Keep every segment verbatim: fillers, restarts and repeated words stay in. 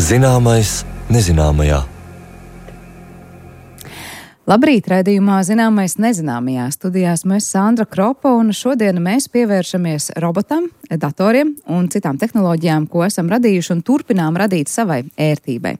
Zināmais nezināmajā. Labrīt, raidījumā Zināmais nezināmajā. Studijās mēs Sandra Kropa, un šodien mēs pievēršamies robotam, datoriem un citām tehnoloģijām, ko esam radījuši un turpinām radīt savai ērtībai.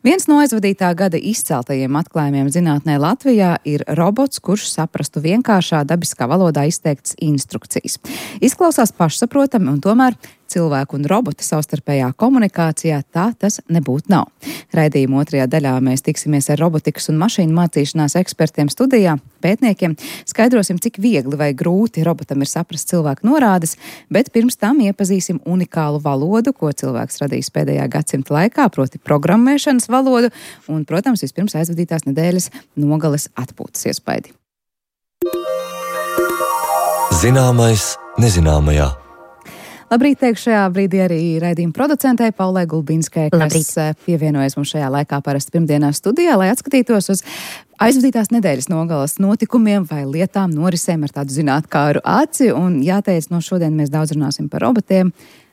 Viens no aizvadītā gada izceltajiem atklājumiem zinātnē Latvijā ir robots, kurš saprastu vienkāršā dabiskā valodā izteiktas instrukcijas. Izklausās pašsaprotami, un tomēr cilvēku un robota savstarpējā komunikācijā tā tas nebūtu nav. Raidījuma otrajā daļā mēs tiksimies ar robotikas un mašīnu mācīšanās ekspertiem studijā, pētniekiem, skaidrosim, cik viegli vai grūti robotam ir saprast cilvēku norādes, bet pirms tam iepazīsim unikālu valodu, ko cilvēks radījis pēdējā gadsimta laikā, proti programmēšanas valodu, un, protams, vispirms aizvadītās nedēļas nogales atpūtas iespaidi. Zināmais nezināmajā. Labrīt, teikšu šajā brīdī arī raidījuma producentei Paulai Gulbinskai, kas Labrīt. pievienojas mums šajā laikā parasti pirmdienās studijā, lai atskatītos uz aizvadītās nedēļas nogalas notikumiem vai lietām, norisēm ar tādu zinātkāru aci. Un jāteic, no šodien mēs daudz runāsim par robotiem,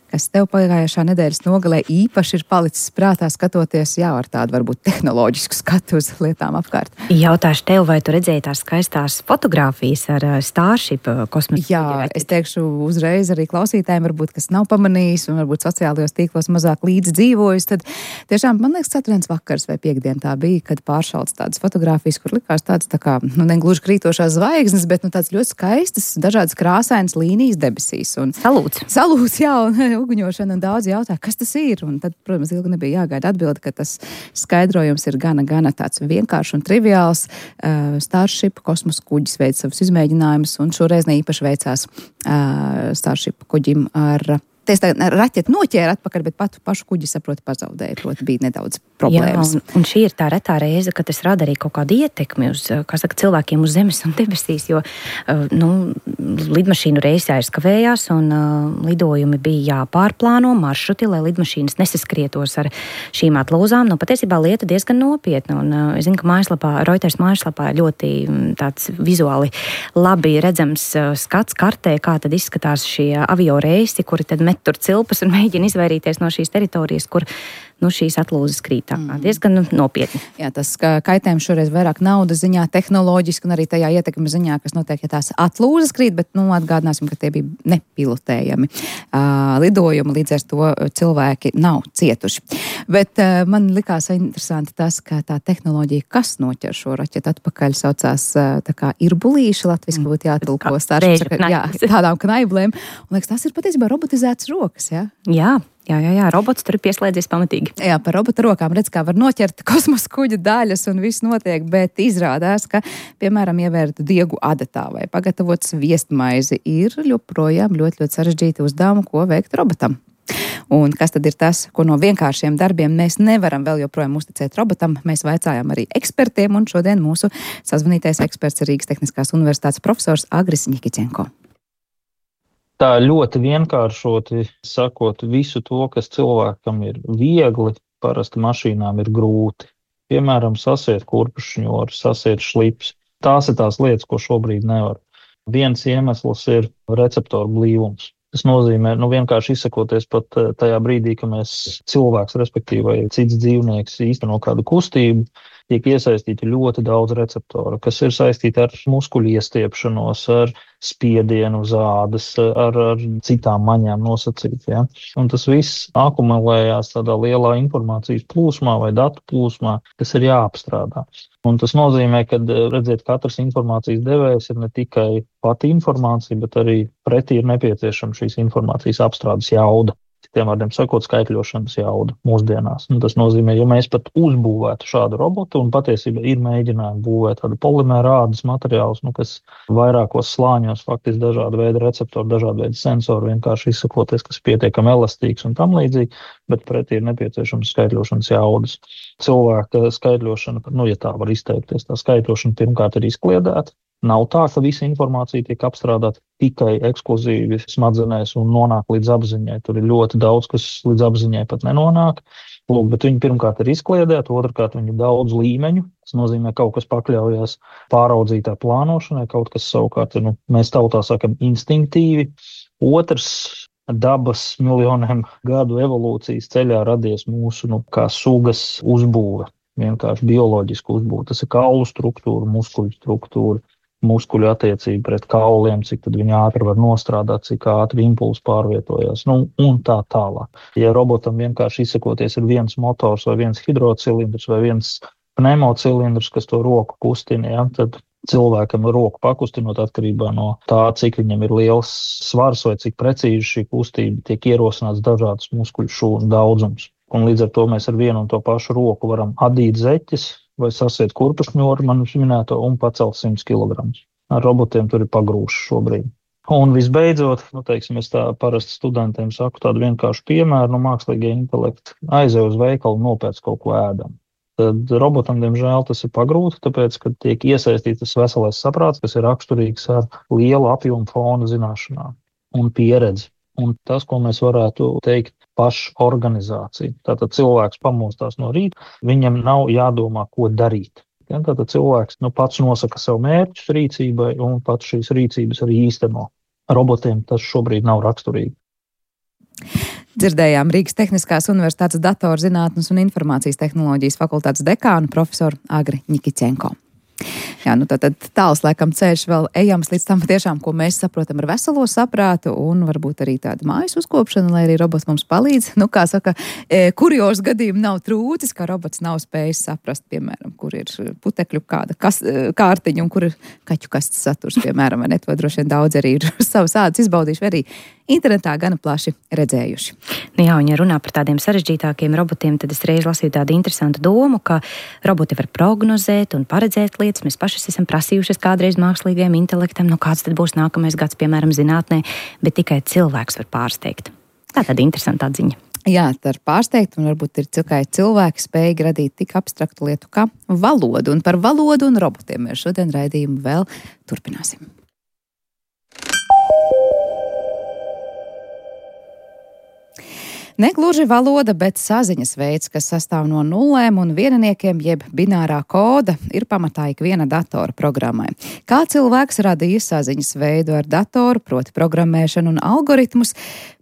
kas tev pagājušā nedēļas nogalē īpaši ir palicis prātā skatoties, jā, ar tādu varbūt tehnoloģisku skatu uz lietām apkārt. Jautāšu tev, vai tu redzēji tās skaistās fotogrāfijas ar Starship kosmosa? Jā, es teikšu uzreiz arī klausītājiem, varbūt, kas nav pamanījis un varbūt sociālajos tīklos mazāk līdz dzīvojis, tad tiešām, man liekas, ceturtdienas vakars vai piekdien tā bija, kad pāršalts tādas fotogrāfijas, kur likās tāds tā kā, nu, negluži krītošās zvaigznes, bet, nu, tāds ļoti skaistas, dažādas krāsainas līnijas debesīs. Un Salūts. Salūts, jā, un uguņošana, un daudz jautāja, kas tas ir, un tad, protams, ilgi nebija jāgaida atbildi, ka tas skaidrojums ir gana, gana tāds vienkāršs un triviāls. Uh, Starship kosmosa kuģis veic savus izmēģinājumus, un šoreiz ne īpaši veicās uh, Starship kuģim ar Ties tā raķeti noķēra atpakaļ, bet patu pašu kuģi, saproti, pazaudēja, proti bija nedaudz problēmas. Jā, un, un šī ir tā retā reize, ka tas rada arī kaut kādu ietekmi uz, kā saka, cilvēkiem uz zemes un debesīs, jo, nu, lidmašīnu reisi aizkavējās un uh, lidojumi bija jāpārplāno maršruti, lai lidmašīnas nesaskrietos ar šīm atlūzām. Nu, patiesībā lieta diezgan nopietna, un uh, es zinu, ka mājaslapā, Reuters mājaslapā ļoti tāds vizuāli labi redzams uh, skats kartē, kā tad izskatās šie avio reisi, kuri tad met tur cilpas un mēģina izvairīties no šīs teritorijas, kur nu, šīs atlūzas krīt. Mm. Diezgan nu, nopietni. Jā, tas kaitējums šoreiz vairāk naudas ziņā, tehnoloģiski un arī tajā ietekmes ziņā, kas notiek, ja tās atlūzas krīt, bet nu, atgādināsim, ka tie bija nepilotējami uh, lidojumi, līdz ar to cilvēki nav cietuši. Bet uh, man likās interesanti tas, ka tā tehnoloģija, kas noķer šo raķetu atpakaļ, saucās uh, tā kā irbulīša, latviski būtu jātulko starp jā, tādām knaiblēm. Un liekas, tas ir patiesībā robotizētas rokas, jā? Jā. Jā, jā, jā, robots tur ir pieslēdzies pamatīgi. Jā, par robota rokām redz, kā var noķert kosmosa kuģa daļas un viss notiek, bet izrādās, ka, piemēram, ievērt diegu adatā vai pagatavot sviestmaizi ir joprojām ļoti, ļoti sarežģīti uzdevumi, ko veikt robotam. Un kas tad ir tas, ko no vienkāršiem darbiem mēs nevaram vēl joprojām uzticēt robotam? Mēs vaicājām arī ekspertiem, un šodien mūsu sazvanītais eksperts ir Rīgas Tehniskās universitātes profesors Agris Ņikiķenko. Tā ļoti vienkāršoti sakot, visu to, kas cilvēkam ir viegli, parasti mašīnām ir grūti. Piemēram, sasiet kurpšņoru, sasiet šlips. Tās ir tās lietas, ko šobrīd nevar. Viens iemesls ir receptoru blīvums. Tas nozīmē, nu vienkārši izsakoties pat tajā brīdī, ka mēs cilvēks, respektīvi vai cits dzīvnieks īsteno kādu kustību, tiek iesaistīti ļoti daudz receptoru, kas ir saistīti ar muskuļu iestiepšanos, ar spiedienu uz ādas, ar, ar citām maņām nosacīt. Ja? Un tas viss akumulējās tādā lielā informācijas plūsmā vai datu plūsmā, kas ir jāapstrādā. Un tas nozīmē, ka, redziet, katrs informācijas devējs ir ne tikai pati informācija, bet arī pretī ir nepieciešama šīs informācijas apstrādes jauda. Citiem vārdiem sakot, skaitļošanas jauda mūsdienās. Un tas nozīmē, ja mēs pat uzbūvētu šādu robotu, un patiesībā ir mēģinājumi būvēt tādu polimēra ādas materiālus, nu, kas vairākos slāņos faktiski dažāda veida receptori, dažāda veida sensori, vienkārši izsakoties, kas ir pietiekami elastīgs un tam līdzīgi, bet pretī ir nepieciešams skaitļošanas jaudas. Cilvēka skaitļošana, nu, ja tā var izteikties, tā skaitļošana pirmkārt ir izkliedēta. Nav tā, ka visa informācija tiek apstrādāta tikai ekskluzīvi smadzenēs un nonāk līdz apziņai. Tur ir ļoti daudz, kas līdz apziņai pat nenonāk. Lūk, bet viņi pirmkārt ir izkliedēti, otrkārt viņi ir daudz līmeņu. Tas nozīmē, kaut kas pakļaujās pāraudzītā plānošanai, kaut kas savukārt, nu, mēs tautā sakam instinktīvi. Otrs dabas miljoniem gadu evolūcijas ceļā radies mūsu nu, kā sugas uzbūve, vienkārši bioloģiska uzbūve. Tas ir kaulu struktūra, muskuļu struktūra, muskuļu attiecība pret kauliem, cik tad viņi ātri var nostrādāt, cik ātri impulsi pārvietojās, nu, un tā tālāk. Ja robotam vienkārši izsakoties ir viens motors vai viens hidrocilindrs vai viens pneumocilindrs, kas to roku kustina, ja, tad cilvēkam roku pakustinot atkarībā no tā, cik viņam ir liels svars vai cik precīzi šī kustība tiek ierosināts dažādas muskuļu šūnu daudzums. Un līdz ar to mēs ar vienu un to pašu roku varam adīt zeķes vai sasiet kurpešņoru, manis minēto, un pacelt simts kilogramus. Ar robotiem tur ir pagrūši šobrīd. Un visbeidzot, nu, teiksim, es tā parasti studentiem saku tādu vienkāršu piemēru, no mākslīgie intelekti aizej uz veikalu, nopēc kaut ko ēdam. Tad robotam, diemžēl, tas ir pagrūti, tāpēc, ka tiek iesaistīts tas veselais saprāts, kas ir raksturīgs ar lielu apjomu fona zināšanām un pieredzi. Un tas, ko mēs varētu teikt, pašorganizācija. Tātad cilvēks pamostās no rīta, viņam nav jādomā, ko darīt. Ja, tātad cilvēks nu, pats nosaka sev mērķus rīcībai un pats šīs rīcības arī īsteno. Robotiem tas šobrīd nav raksturīgi. Dzirdējām Rīgas Tehniskās Universitātes datorzinātnes un informācijas tehnoloģijas fakultātes dekānu profesoru Agri Ņikiķenko. Jā, nu tad, tad tāls laikam ceļš vēl ejams līdz tam tiešām, ko mēs saprotam ar veselo saprātu un varbūt arī tādu mājas uzkopšanu, lai arī robots mums palīdz. Nu, kā saka, kurjos gadījumi nav trūcis, kā robots nav spējis saprast, piemēram, kur ir putekļu kāda kas, kārtiņa un kur ir kaķu kastes saturs, piemēram, vai ne, to droši vien daudz arī ir savas ādas izbaudījuši, vai arī internetā gana plaši redzējuši. Nu jā, un ja runā par tādiem sarežģītākiem robotiem, tad es reiz lasīju tādu interesantu domu, ka roboti var prognozēt un paredzēt lietas. Mēs paši esam prasījušies kādreiz mākslīgajam intelektam, nu kāds tad būs nākamais gads, piemēram, zinātnē, bet tikai cilvēks var pārsteigt. Tā tāda interesanta atziņa. Jā, tā ir pārsteigta, un varbūt ir tikai cilvēki spējīgi radīt tik abstraktu lietu kā valodu. Un par valodu un robotiem mēs šodien raidījumu vēl turpināsim. Negluži valoda, bet saziņas veids, kas sastāv no nullēm un vienniekiem, jeb binārā koda, ir pamatā ikviena datora programmai. Kā cilvēks radīja saziņas veidu ar datoru, proti programmēšanu un algoritmus,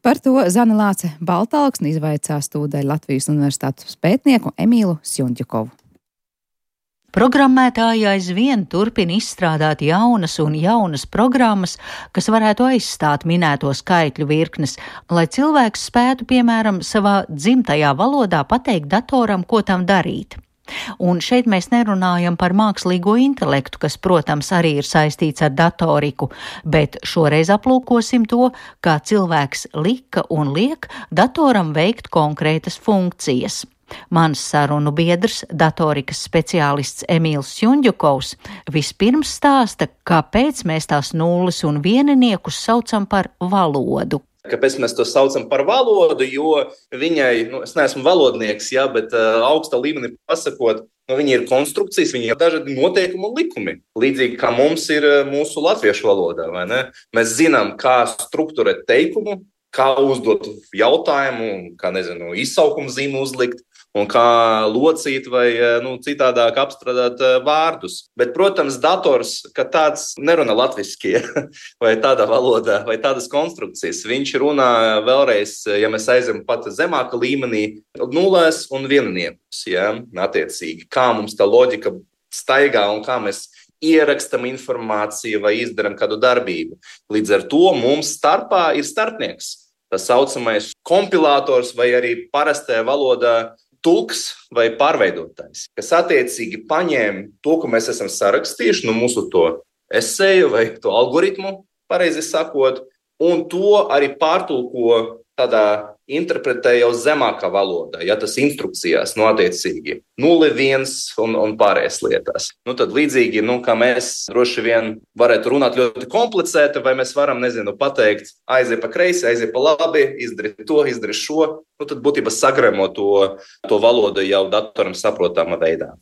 par to Zane Lāce Baltalksne izvaicās tūdaļ Latvijas Universitātes pētnieku Emīlu Sjundjukovu. Programmētāji aizvien turpina izstrādāt jaunas un jaunas programmas, kas varētu aizstāt minēto skaitļu virknes, lai cilvēks spētu, piemēram, savā dzimtajā valodā pateikt datoram, ko tam darīt. Un šeit mēs nerunājam par mākslīgo intelektu, kas, protams, arī ir saistīts ar datoriku, bet šoreiz aplūkosim to, kā cilvēks lika un liek datoram veikt konkrētas funkcijas. Mans sarunu biedrs, datorikas speciālists Emīls Sjundjukovs, vispirms stāsta, kāpēc mēs tās nulles un vieniniekus saucam par valodu. Kāpēc mēs to saucam par valodu, jo viņai, nu, es neesmu valodnieks, jā, bet uh, augsta līmenī pasakot, nu, viņi ir konstrukcijas, viņi ir dažādi noteikumi un likumi. Līdzīgi kā mums ir mūsu latviešu valodā, vai ne? Mēs zinām, kā strukturēt teikumu, kā uzdot jautājumu, kā, nezinu, izsaukumu zīmu uzlikt, un kā locīt vai nu, citādāk apstrādāt vārdus. Bet, protams, dators, ka tāds nerunā latviskie vai tādā valodā, vai tādas konstrukcijas. Viņš runā vēlreiz, ja mēs aizem pat zemāka līmenī, nulēs un vienniekus, ja, attiecīgi. Kā mums tā loģika staigā un kā mēs ierakstam informāciju vai izdaram kādu darbību. Līdz ar to mums starpā ir starpnieks. Tas saucamais kompilātors vai arī parastajā valodā tulks vai pārveidotājs, kas attiecīgi paņēma to, ko mēs esam sarakstījuši, no mūsu to eseju vai to algoritmu, pareizi sakot, un to arī pārtulko tādā interpretē jau zemākā valodā, ja tas instrukcijās, nu, attiecīgi, nulle, viens un, un pārējās lietās. Nu, tad līdzīgi, nu, kā mēs droši vien varētu runāt ļoti komplicēti, vai mēs varam, nezinu, pateikt, aiziet pa kreisi, aiziet pa labi, izdarīt to, izdarīt šo, nu, tad būtībā sagremo to, to valodu jau datoram saprotamā veidā.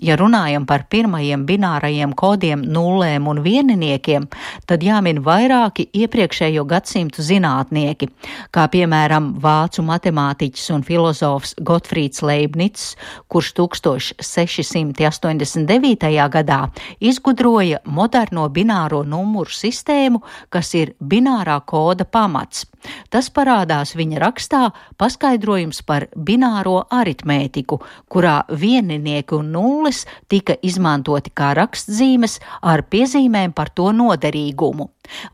Ja runājam par pirmajiem binārajiem kodiem nullēm un vieniniekiem, tad jāmin vairāki iepriekšējo gadsimtu zinātnieki, kā piemēram vācu matemātiķis un filozofs Gotfrīds Leibnics, kurš tūkstoš seši simti astoņdesmit devītajā gadā izgudroja moderno bināro numuru sistēmu, kas ir binārā koda pamats. Tas parādās viņa rakstā paskaidrojums par bināro aritmētiku, kurā vieninieki un nulles tika izmantoti kā rakstzīmes ar piezīmēm par to noderīgumu.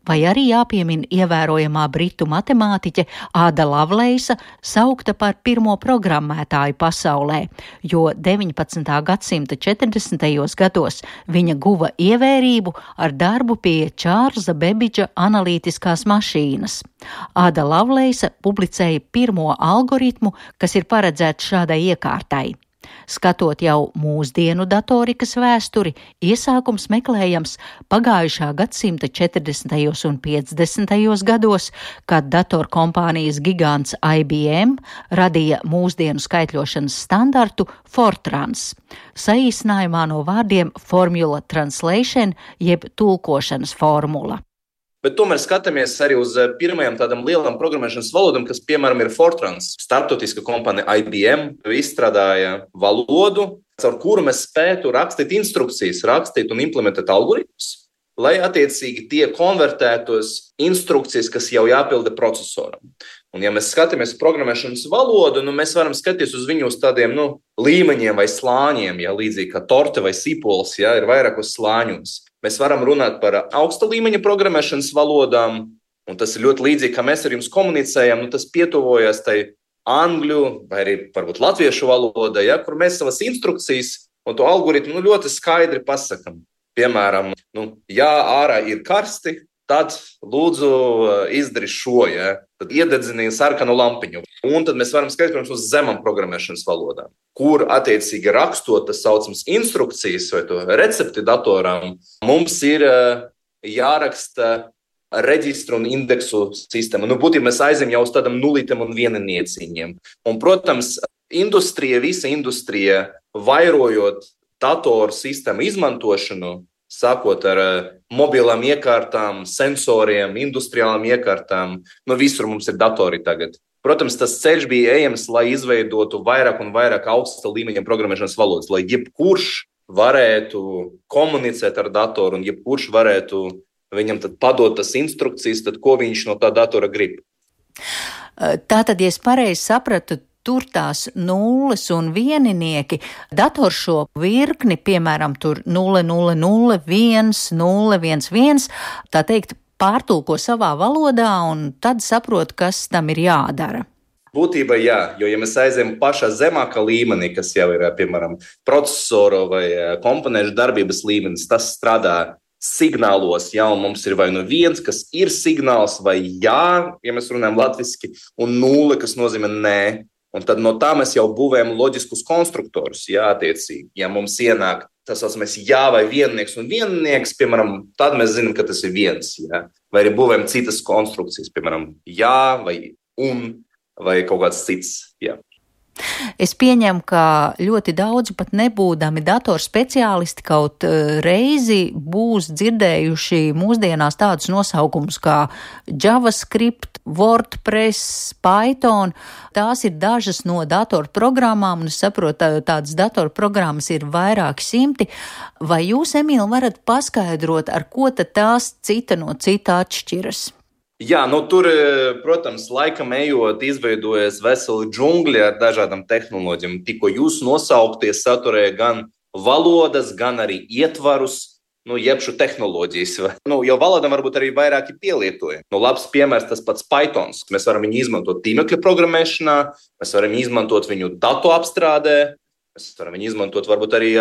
Vai arī jāpiemin ievērojamā britu matemātiķe Āda Lavleisa, saukta par pirmo programmētāju pasaulē, jo deviņpadsmitā gadsimta četrdesmitajos gados viņa guva ievērību ar darbu pie Čārlza Bebidža analītiskās mašīnas. Āda Lavleisa publicēja pirmo algoritmu, kas ir paredzēts šādai iekārtai. Skatot jau mūsdienu datorikas vēsturi, iesākums meklējams pagājušā gadsimta četrdesmitajos un piecdesmitajos gados, kad datorkompānijas gigants I B M radīja mūsdienu skaitļošanas standartu Fortrans, saīsinājumā no vārdiem Formula Translation jeb tulkošanas formula. Bet tomēr skatāmies arī uz pirmajām tādām lielām programmēšanas valodām, kas, piemēram, ir Fortrans. Starptautiska kompānija I B M izstrādāja valodu, caur kuru mēs spētu rakstīt instrukcijas, rakstīt un implementēt algoritmus, lai attiecīgi tie konvertētos instrukcijas, kas jau jāpilda procesoram. Un ja mēs skatāmies uz programmēšanas valodu, nu, mēs varam skatīties uz viņu uz tādiem nu, līmeņiem vai slāņiem, ja, līdzīgi kā torte vai sipols, ja, ir vairākos slāņos. Mēs varam runāt par augsta līmeņa programmēšanas valodām, un tas ir ļoti līdzīgi, kā mēs ar jums komunicējam, nu, tas pietuvojas tai angļu vai arī varbūt latviešu valodai, ja, kur mēs savas instrukcijas un to algoritmu nu, ļoti skaidri pasakam. Piemēram, nu, ja ārā ir karsti, tad lūdzu izdari šo, ja, tad iededzini sarkanu lampiņu. Un tad mēs varam skatīties, protams, uz zemām programmēšanas valodām, kur attiecīgi rakstot tas saucams instrukcijas vai to recepti datoram, mums ir jāraksta reģistru un indeksu sistēma. Nu, būtībā mēs aizem jau uz tādam nulītiem un vieninieciņiem. Un, protams, industrija, visa industrija, vairojot datoru sistēmu izmantošanu, sākot ar mobilām iekārtām, sensoriem, industriālām iekārtām, nu visur mums ir datori tagad. Protams, tas ceļš bija ejams, lai izveidotu vairāk un vairāk augsta līmeņa programmēšanas valodas, lai jebkurš varētu komunicēt ar datoru un jebkurš varētu viņam tad padot tas instrukcijas, tad ko viņš no tā datora grib. Tātad, ja es pareizi sapratu, tur tās nulles un vieninieki, dators šo virkni, piemēram, tur nulle, nulle, nulle, viens, nulle, viens, viens, tā teikt, pārtulko savā valodā un tad saprot, kas tam ir jādara. Būtībā jā, jo ja mēs aizējam pašā zemākā līmenī, kas jau ir, piemēram, procesoru vai komponēšu darbības līmenis, tas strādā signālos, ja, un mums ir vai nu viens, kas ir signāls, vai jā, ja mēs runājam latviski, un nulle, kas nozīmē nē. Un tad no tā mēs jau būvējam loģiskus konstruktorus, jā, attiecīgi. Ja mums ienāk tas saucamais jā vai viennieks un viennieks, piemēram, tad mēs zinām, ka tas ir viens, jā. Vai arī būvējam citas konstrukcijas, piemēram, jā vai un vai kaut kāds cits, jā. Es pieņemu, ka ļoti daudzi pat nebūdami datorspeciālisti kaut reizi būs dzirdējuši mūsdienās tādus nosaukumus kā JavaScript, WordPress, Python. Tās ir dažas no datorprogrammām, un es saprotu, tādas datorprogrammas ir vairāki simti. Vai jūs, Emīl, varat paskaidrot, ar ko tad tās cita no cita atšķiras? Jā, nu tur, protams, laikam ejot, izveidojas veseli džungļi ar dažādām tehnoloģijām. Tikko jūs nosaukties saturēja gan valodas, gan arī ietvarus, nu, jebšu tehnoloģijas. Nu, jau valodām varbūt arī vairāki pielietoja. Nu, labs piemērs tas pats Pythons. Mēs varam viņu izmantot tīmekļa programmēšanā, mēs varam izmantot viņu datu apstrādē, mēs varam viņu izmantot varbūt arī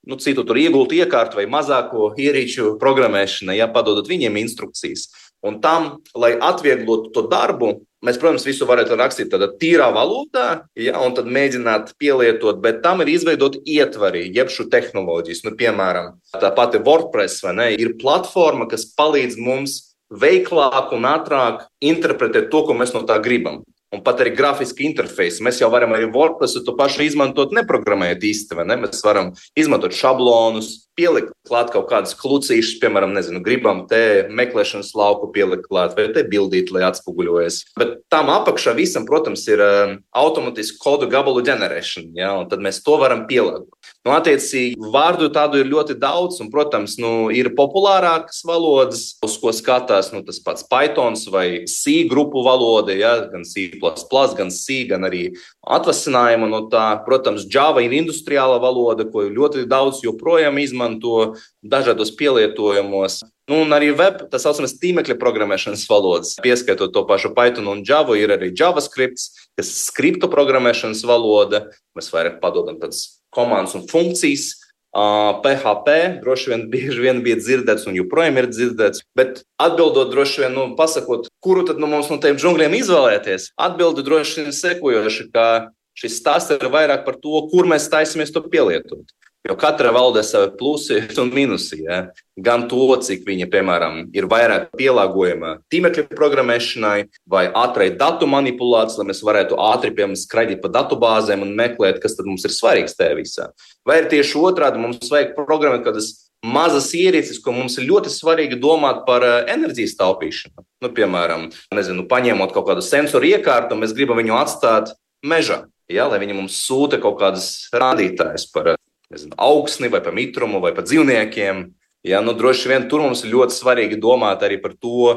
nu, citu tur iegultu iekārtu vai mazāko ierīču programmēšanai, ja padodot viņiem instrukcijas. Un tam, lai atvieglotu to darbu, mēs, protams, visu varētu rakstīt tādā tīrā valodā, ja, un tad mēģināt pielietot, bet tam ir izveidot ietvari, jebšu tehnoloģijas. Nu, piemēram, tā pati WordPress, vai ne, ir platforma, kas palīdz mums veiklāk un ātrāk interpretēt to, ko mēs no tā gribam. un pat arī grafiski interfeisi. Mēs jau varam arī WordPressu to pašu izmantot, neprogrammējot īsti, vai ne? Mēs varam izmantot šablonus, pielikt klāt kaut kādas klucīšas, piemēram, nezinu, gribam te meklēšanas lauku pielikt klāt, vai te bildīt, lai atspoguļojas. Bet tam apakšā visam, protams, ir uh, automatiski kodu gabalu ģenerēšana, ja? Un tad mēs to varam pielāgot. Nu, attiecīgi, vārdu tādu ir ļoti daudz, un, protams, nu, ir populārākas valodas, uz ko skatās nu, tas pats Pythons vai C grupu valoda, ja? Gan C plus plus, gan C, gan arī atvasinājuma no tā. Protams, Java ir industriāla valoda, ko ļoti daudz joprojām izmanto dažādos pielietojumos. Nu, un arī web, tā saucamas tīmekļa programmēšanas valodas. Pieskaitot to pašu Python un Java, ir arī JavaScript, kas ir skriptu programmēšanas valoda. Mēs vairāk padodam tāds komandas un funkcijas. Uh, P H P droši vien bieži vien bija dzirdēts un joprojām ir dzirdēts, bet atbildot droši vien, nu, pasakot, kuru tad nu, mums no tiem džungļiem izvēlēties, atbildi droši vien sekojoši, ka šis stāsts ir vairāk par to, kur mēs taisamies to pielietot. Jo katra valodē savi plusi un minusi, ja? Gan to, cik viņa, piemēram, ir vairāk pielāgojama tīmekļa programmēšanai vai ātrai datu manipulācijai, lai mēs varētu ātri, piemēram, skraidīt pa datubāzēm un meklēt, kas tad mums ir svarīgs tajā visā. Vai ir tieši otrādi, mums vajag programmēt kādas mazas ierīces, ko mums ir ļoti svarīgi domāt par enerģijas taupīšanu. Nu, piemēram, nezinu, paņemot kaut kādu sensoru iekārtu, mēs gribam viņu atstāt mežā, ja? Lai viņi mums sūta kaut kādas rādītājas par nezinu, augsni vai par mitrumu vai par dzīvniekiem. Ja, nu, droši vien tur mums ir ļoti svarīgi domāt arī par to,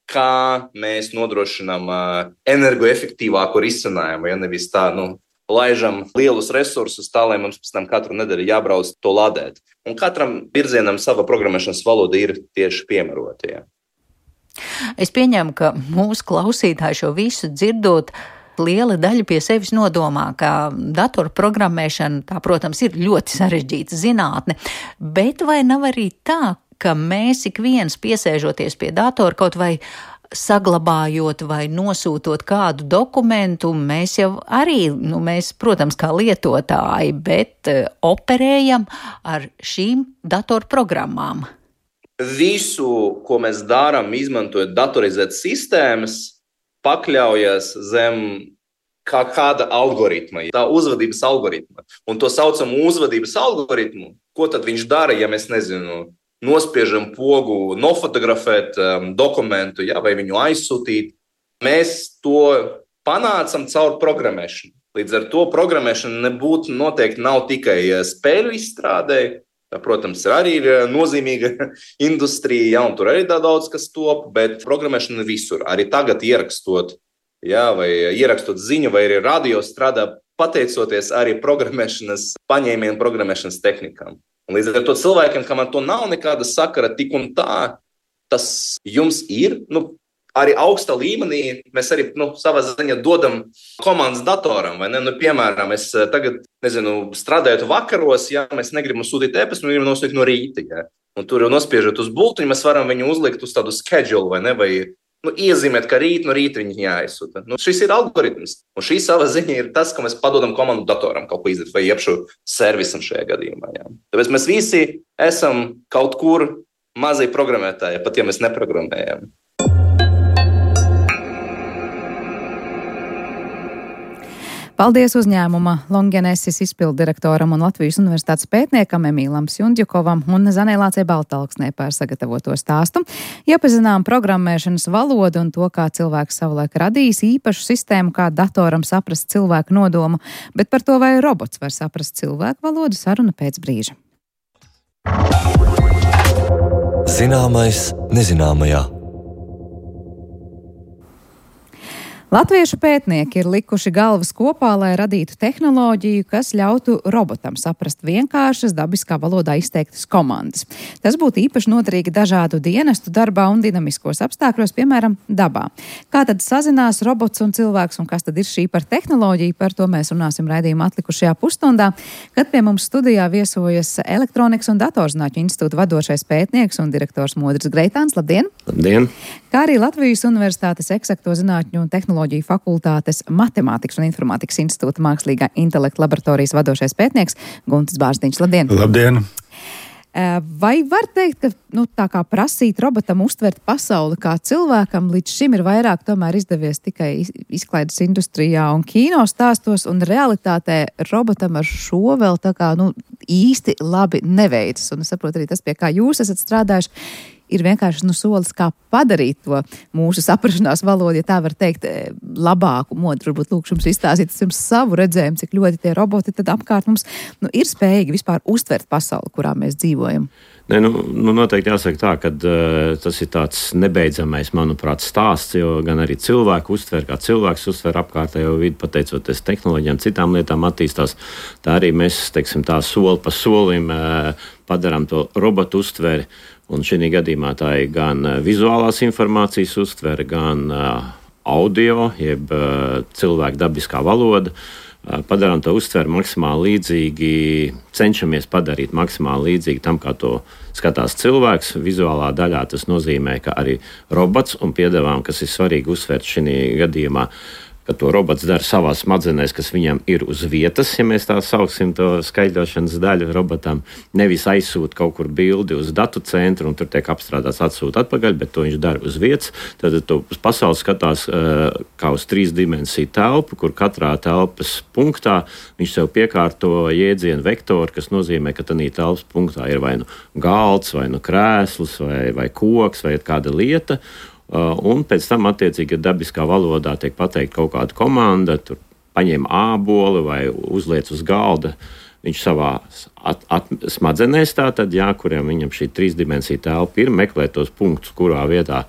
kā mēs nodrošinām uh, energoefektīvāku risinājumu. Ja nevis tā, nu, laižam lielus resursus tā, lai mums pēc tam katru nedēļu jābrauc to ladēt. Un katram virzienam sava programmēšanas valoda ir tieši piemērota. Ja. Es pieņemu, ka mūsu klausītāji šo visu dzirdot, liela daļa pie sevis nodomā, ka datoru programmēšana, tā, protams, ir ļoti sarežģīta zinātne, bet vai nav arī tā, ka mēs ik viens piesēžoties pie datora kaut vai saglabājot vai nosūtot kādu dokumentu, mēs jau arī, nu, mēs, protams, kā lietotāji, bet uh, operējam ar šīm datoru programmām? Visu, ko mēs darām, izmantojot datorizētas sistēmas, pakļaujas zem kā kāda algoritma, tā uzvedības algoritma. Un to saucam uzvedības algoritmu. Ko tad viņš dara, ja mēs, nezinu, nospiežam pogu, nofotografēt um, dokumentu, ja, vai viņu aizsūtīt? Mēs to panācam caur programmēšanu. Līdz ar to programmēšana nebūtu noteikti nav tikai spēļu izstrādē. Tā, protams, ir arī nozīmīga industrija, ja, un tur arī daudz kas top, bet programmēšana visur. Arī tagad ierakstot, ja, vai ierakstot ziņu, vai arī radio strādā pateicoties arī programmēšanas paņēmienu, programmēšanas tehnikām. Un līdz ar to cilvēkiem, kam ar to nav nekāda sakara, tik un tā, tas jums ir, nu, arī augsta līmenī mēs arī, nu, savā ziņā dodam komandas datoram, vai ne? Nu, piemēram, es tagad, nezinu, strādājot vakaros, ja mēs negribam sūtīt e-pastu, mēs gribam nosūtīt no rīta, ja? Un tur jau nospiežot uz bultiņu, mēs varam viņu uzlikt uz tādu schedule, vai ne? Vai, nu, iezīmēt, ka rīt no rīta viņi jāizsūta. Nu, šis ir algoritms, un šī savā ziņā ir tas, ka mēs padodam komandu datoram kaut ko izdarīt, vai iepšu servisam šajā gadījumā, ja? Tāpēc mēs visi esam kaut kur mazie programmētāji, pat ja mēs neprogrammējam. Paldies uzņēmuma Longenesis izpilddirektoram un Latvijas Universitātes pētniekam Emīlam Sjundjukovam un Zanēlācei Baltalksnē par sagatavoto stāstu. Iepazinām programmēšanas valodu un to, kā cilvēks savulaik radījis īpašu sistēmu, kā datoram saprast cilvēku nodomu, bet par to, vai robots var saprast cilvēku valodu, saruna pēc brīža. Zināmais nezināmajā. Latviešu pētnieki ir likuši galvas kopā, lai radītu tehnoloģiju, kas ļautu robotam saprast vienkāršas, dabiskā valodā izteiktas komandas. Tas būtu īpaši noderīgi dažādu dienestu darbā un dinamiskos apstākļos, piemēram, dabā. Kā tad sazinās robots un cilvēks, un kas tad ir šī par tehnoloģiju? Par to mēs runāsim raidījuma atlikušajā pusstundā, kad pie mums studijā viesojas Elektronikas un datorzinātņu institūta vadošais pētnieks un direktors Modris Greitāns. Labdien! Labdien! Kā arī Latvijas Universitātes eksakto zinātņu un tehnoloģiju fakultātes Matemātikas un informātikas institūta mākslīgā intelekta laboratorijas vadošais pētnieks Guntis Bārziņš. Labdien! Labdien! Vai var teikt, ka nu, tā kā prasīt robotam uztvert pasauli kā cilvēkam, līdz šim ir vairāk tomēr izdevies tikai izklaides industrijā un kino stāstos, un realitātē robotam ar šo vēl tā kā nu, īsti labi neveicas. Un es saprotu arī tas, pie kā jūs esat strādājuši, ir vienkārši nu, solis, kā padarīt to mūsu saprašanās valodu, ja tā var teikt, labāku modu. Varbūt lūkšu jums izstāstīt jums savu redzējumu, cik ļoti tie roboti tad apkārt mums nu, ir spējīgi vispār uztvert pasauli, kurā mēs dzīvojam. Ne, nu, nu noteikti jāsaka tā, ka uh, tas ir tāds nebeidzamais, manuprāt, stāsts, jo gan arī cilvēku uztver, kā cilvēks uztver apkārtējo vidi, pateicoties tehnoloģijām, citām lietām attīstās. Tā arī mēs, teiksim, tā soli pa solim uh, padarām to robotu uztveri. Un šī gadījumā tā ir gan vizuālās informācijas uztvere, gan uh, audio, jeb uh, cilvēka dabiskā valoda. Uh, padarām to uztveri maksimāli līdzīgi, cenšamies padarīt maksimāli līdzīgi tam, kā to skatās cilvēks. Vizuālā daļā tas nozīmē, ka arī robots un piedāvājam, kas ir svarīgi uzsvērt šī gadījumā, ka to robots dara savās smadzenēs, kas viņam ir uz vietas, ja mēs tā sauksim to skaidrošanas daļu robotam, nevis aizsūt kaut kur bildi uz datu centru un tur tiek apstrādāts atsūt atpakaļ, bet to viņš dara uz vietas. Tad to uz pasauli skatās uh, kā uz trīs dimensiju telpu, kur katrā telpas punktā viņš sev piekārto jēdzienu vektoru, kas nozīmē, ka tanī telpas punktā ir vai nu galds, vai nu krēsls, vai, vai koks, vai kāda lieta. Uh, un pēc tam, attiecīgi, ja dabiskā valodā tiek pateikt kaut kāda komanda, tur paņem āboli vai uzliec uz galda, viņš savā at, at, smadzenēs tātad, jā, kuriem viņam šī trīsdimensija telpa ir, meklē tos punktus, kurā vietā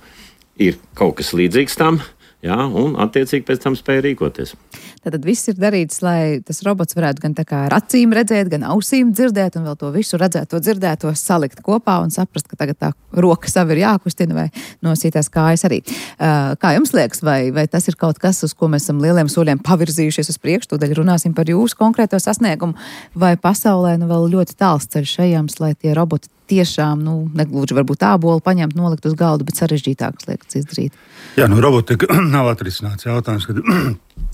ir kaut kas līdzīgs tam, jā, un attiecīgi pēc tam spēja rīkoties. Tātad viss ir darīts, lai tas robots varētu gan tā kā ar acīm redzēt, gan ausīm dzirdēt, un vēl to visu redzēto dzirdēto salikt kopā un saprast, ka tagad tā roka savu ir jākustina vai nosītās kājas arī. Uh, kā jums liekas, vai, vai tas ir kaut kas, uz ko mēs esam lieliem soļiem pavirzījušies uz priekšu, tūdaļ runāsim par jūsu konkrēto sasniegumu, vai pasaulē nu vēl ļoti tāls ceļš ejams, lai tie roboti tiešām, nu, negluži varbūt ābolu paņemt, nolikt uz galdu, bet sarežģītākas lietas izdarīt? Jā, nu robotika nav atrisināts jautājums, kad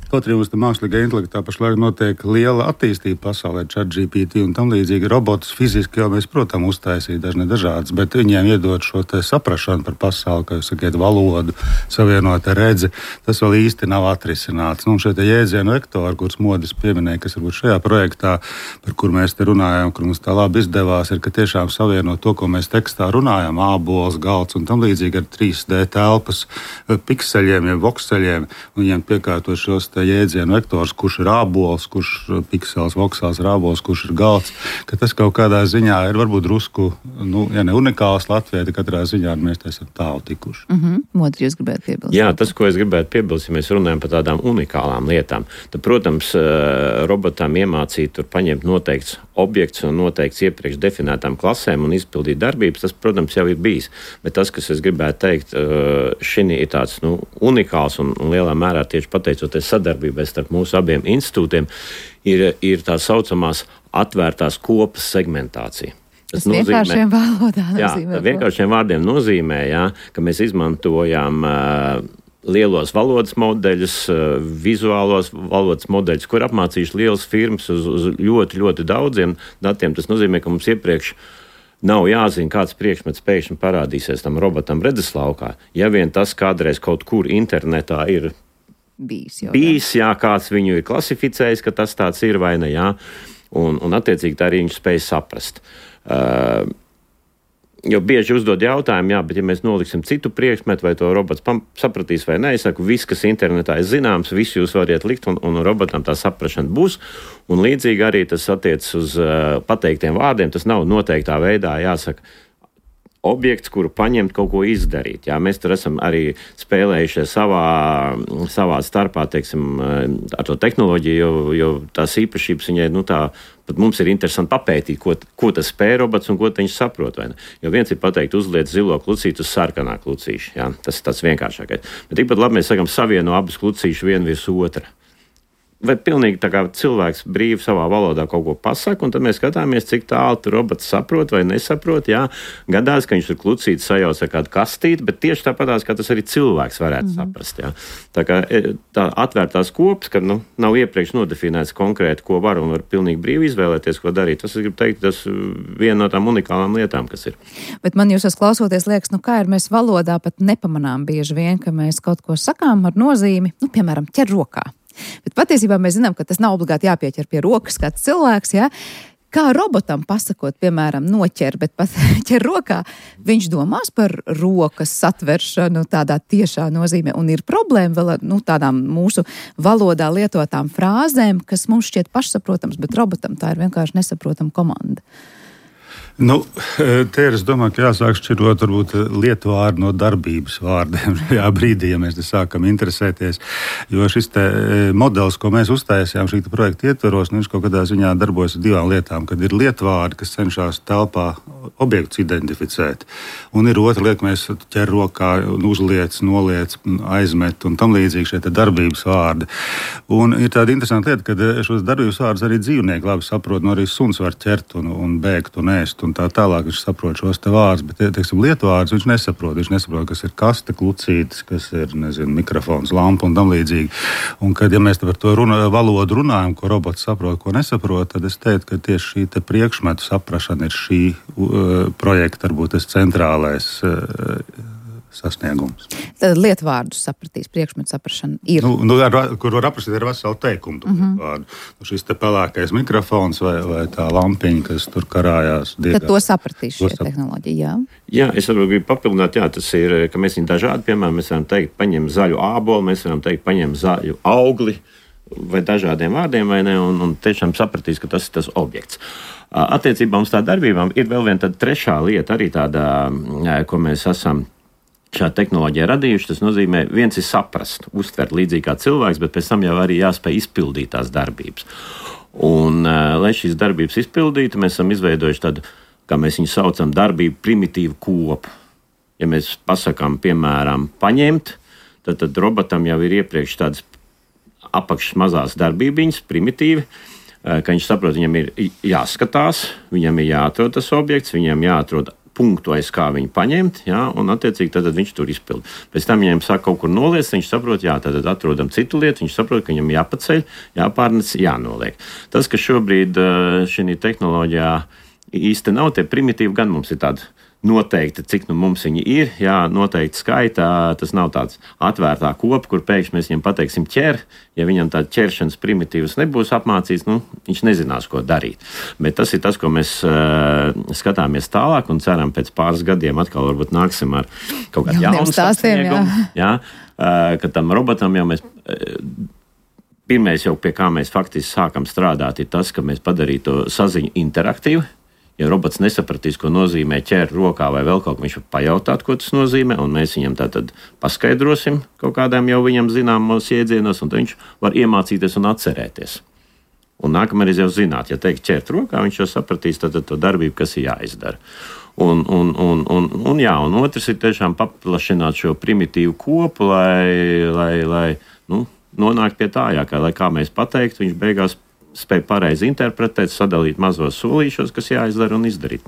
kaut arī uz tā mākslīgā intelektā pašlaik notiek liela attīstība pasaulē, ChatGPT un tam līdzīgi. Robotus fiziski jau mēs, protams, uztaisīt dažne dažādas, bet viņiem iedot šo te saprašanu par pasauli, kā jūs sakiet, valodu, savienota redzi, tas vēl īsti nav atrisināts. Nu, šie te jēdzienu vektori, kurus Modis pieminēja, kas varbūt šajā projektā, par kur mēs te runājam, kur mums tā labi izdevās, ir, ka tiešām savienot to, ko mēs tekstā runājam, ābols, galds un tam līdzīgi ar trīs D telpas pikseļiem, jeb vokseļiem, un viņiem piekārtot šos jēdzienu vektors, kurš ir ābols, kurš piksels, voksels ir ābols, kurš ir galds, ka tas kaut kādā ziņā ir varbūt drusku, nu, ja ne unikāls Latvijai, tad katrā ziņā mēs esam tālu tikuši. Mm-hmm. Modri, jūs gribētu piebilst? Jā, tas, ko es gribētu piebilst, ja mēs runājam par tādām unikālām lietām, tad, protams, robotam iemācīt tur paņemt noteikts objekts un noteikts iepriekš definētām klasēm un izpildīt darbības, tas, protams, jau ir bijis. Bet tas, kas es gribētu teikt, šī ir tāds, nu, unikāls un, un lielā mērā tieši pateicoties sadarbībai starp mūsu abiem institūtiem, ir, ir tā saucamās atvērtās kopas segmentācija. Tas, tas vienkāršiem valodā nozīmē. Jā, vienkāršiem vārdiem nozīmē, jā, ka mēs izmantojam uh, lielos valodas modeļus, uh, vizuālos valodas modeļus, kur apmācījuši lielas firmas uz, uz ļoti, ļoti daudziem datiem. Tas nozīmē, ka mums iepriekš nav jāzina, kāds priekšmets pēkšņi parādīsies tam robotam redzeslaukā. Ja vien tas kādreiz kaut kur internetā ir bijis, jau, bijis jā, kāds viņu ir klasificējis, ka tas tāds ir vai ne, jā. Un, un attiecīgi tā arī viņš spēj saprast. Uh, jo bieži uzdod jautājumu, jā, bet ja mēs noliksim citu priekšmetu, vai to robots pam- sapratīs vai ne, es saku, viss, kas internetā ir zināms, visu jūs variet likt, un, un robotam tā saprašana būs. Un līdzīgi arī tas attiecas uz uh, pateiktiem vārdiem, tas nav noteiktā veidā jāsaka objekts, kuru paņemt, kaut ko izdarīt. Jā, mēs tur esam arī spēlējušies savā, savā starpā, teiksim, ar to tehnoloģiju, jo, jo tās īpašības viņai, nu tā, pat mums ir interesanti papētīt, ko, ko tas spēj robots un ko viņš saprot, vai ne. Jo viens ir pateikt, uzliec zilo klucītu uz sarkanā klucīša, jā, tas ir tas vienkāršākais. Bet tikpat labi mēs sakam, savieno abas klucīšas vienu virs otra. vai pilnīgi tā kā cilvēks brīvi savā valodā kaut ko pasaka, un tad mēs skatāmies, cik tālu tur robots saprot vai nesaprot. Jā, gadās, ka viņš tur klucīti sajauc ar kādu kastīti, bet tieši tāpatās, kā tas arī cilvēks varētu mm-hmm. saprast. Jā. Tā kā tā atvērtās kopas, ka nu, nav iepriekš nodefinēts konkrēti, ko var un var pilnīgi brīvi izvēlēties, ko darīt. Tas, es gribu teikt, tas viena no tām unikālām lietām, kas ir. Bet man jūsos klausoties liekas, nu kā ir mēs valodā pat nepamanām bieži vien, ka mēs kaut ko sakām ar nozīmi, nu, piemēram, ķer rokā. Bet patiesībā mēs zinām, ka tas nav obligāti jāpieķer pie rokas kāds cilvēks, jā. Kā robotam pasakot, piemēram, noķer, bet pat ķer rokā, viņš domās par rokas satveršanu tādā tiešā nozīmē. Un ir problēma vēl ar nu, tādām mūsu valodā lietotām frāzēm, kas mums šķiet pašsaprotams, bet robotam tā ir vienkārši nesaprotama komanda. Nu, te ir, es domāju, ka jāsāk šķirot varbūt lietu vārdu no darbības vārdiem šajā brīdī, ja mēs te sākam interesēties. Jo šis te modelis, ko mēs uztaisījām šī projekta ietveros, nu, viņš kaut kādā ziņā darbojas ar divām lietām, kad ir lietu vārdi, kas cenšas telpā objektus identificēt. Un ir otra lieta, mēs ķer rokā un uzliec, noliec, aizmet un tam līdzīgi šie te darbības vārdi. Un ir tāda interesanta lieta, ka šos darbības vārdus arī dzīvnieki labi saprot, no arī suns var ķert un, un bēgt un ēst. Un tā tālāk viņš saprot šos te vārdus, bet, teiksim, lietu vārdus viņš nesaprot. Viņš nesaprot, kas ir kaste, klucītis, kas ir, nezinu, mikrofons, lampa un tam līdzīgi. Un kad, ja mēs par to runa, valodu runājam, ko robots saprot, ko nesaprot, tad es teiktu, ka tieši šī te priekšmetu saprašana ir šī uh, projekta, varbūt tas centrālais uh, sasniegums. Tad lietvārdus sapratīs, priekšmetu saprašana ir. Nu, nu, ar, kur var aprakstīt ar veselu teikumu. Mm-hmm. Nu, šis te pelēkais mikrofons vai, vai tā lampiņa, kas tur karājās. Diegā. Tad to sapratīs šie tehnoloģija, jā? Jā, es varu gribu papildināt, jā, tas ir, ka mēs viņu dažādi, piemēram, mēs varam teikt, paņem zaļu ābolu, mēs varam teikt, paņem zaļu augli vai dažādiem vārdiem, vai ne, un, un tiešām sapratīs, ka tas ir tas objekts. Attiecībā uz tā darbībām ir vēl viena tāda trešā lieta, arī tāda, ko mēs esam šā tehnoloģija radījuši. Tas nozīmē, viens ir saprast, uztvert līdzīgi kā cilvēks, bet pēc tam jau arī jāspēj izpildīt tās darbības. Un, lai šīs darbības izpildītu, mēs esam izveidojuši tādu, kā mēs viņu saucam, darbību primitīvu kopu. Ja mēs pasakām, piemēram, paņemt, tad, tad robotam jau ir iepriekš tādas apakšas mazās darbībiņas, primitīvi, ka viņš saprot, viņam ir jāskatās, viņam ir jāatrod tas objekts, viņam jāatrod punktu, aiz kā viņu paņemt, jā, un attiecīgi tad, tad viņš tur izpild. Pēc tam viņam saka kaut kur noliec, viņš saprot, jā, tad atrodam citu lietu, viņš saprot, ka viņam jāpaceļ, jāpārnec, jānoliek. Tas, ka šobrīd šī tehnoloģijā īsti nav, tie primitīvi gan mums ir tādi noteikti, cik nu mums viņi ir, jā, noteikti skaitā, tas nav tāds atvērtā kopa, kur pēkšņi mēs viņam pateiksim ķer, ja viņam tāda ķeršanas primitīvas nebūs apmācīts, nu, viņš nezinās, ko darīt. Bet tas ir tas, ko mēs uh, skatāmies tālāk un ceram pēc pāris gadiem atkal varbūt nāksim ar kaut kādu jaunu sasniegumu, jā, uh, ka tam robotam jau mēs... Uh, Pirmais jau, pie kā mēs faktiski sākam strādāt, ir tas, ka mēs padarītu to saziņu interaktīvu. Ja robots nesapratīs, ko nozīmē ķert rokā vai vēl kaut ko, viņš var pajautāt, ko tas nozīmē, un mēs viņam tātad paskaidrosim kaut kādām jau viņam zināmos iedzienos, un tad viņš var iemācīties un atcerēties. Un nākamreiz jau zināt, ja teikt ķert rokā, viņš jau sapratīs tātad to darbību, kas ir jāizdara. Un, un, un, un, un, jā, un otrs ir tiešām paplašināt šo primitīvu kopu, lai, lai, lai nu, nonākt pie tā, jā, kā, lai kā mēs pateikt, viņš beigās spēj pareizi interpretēt, sadalīt mazos solīšos, kas jāizdara un izdarīt.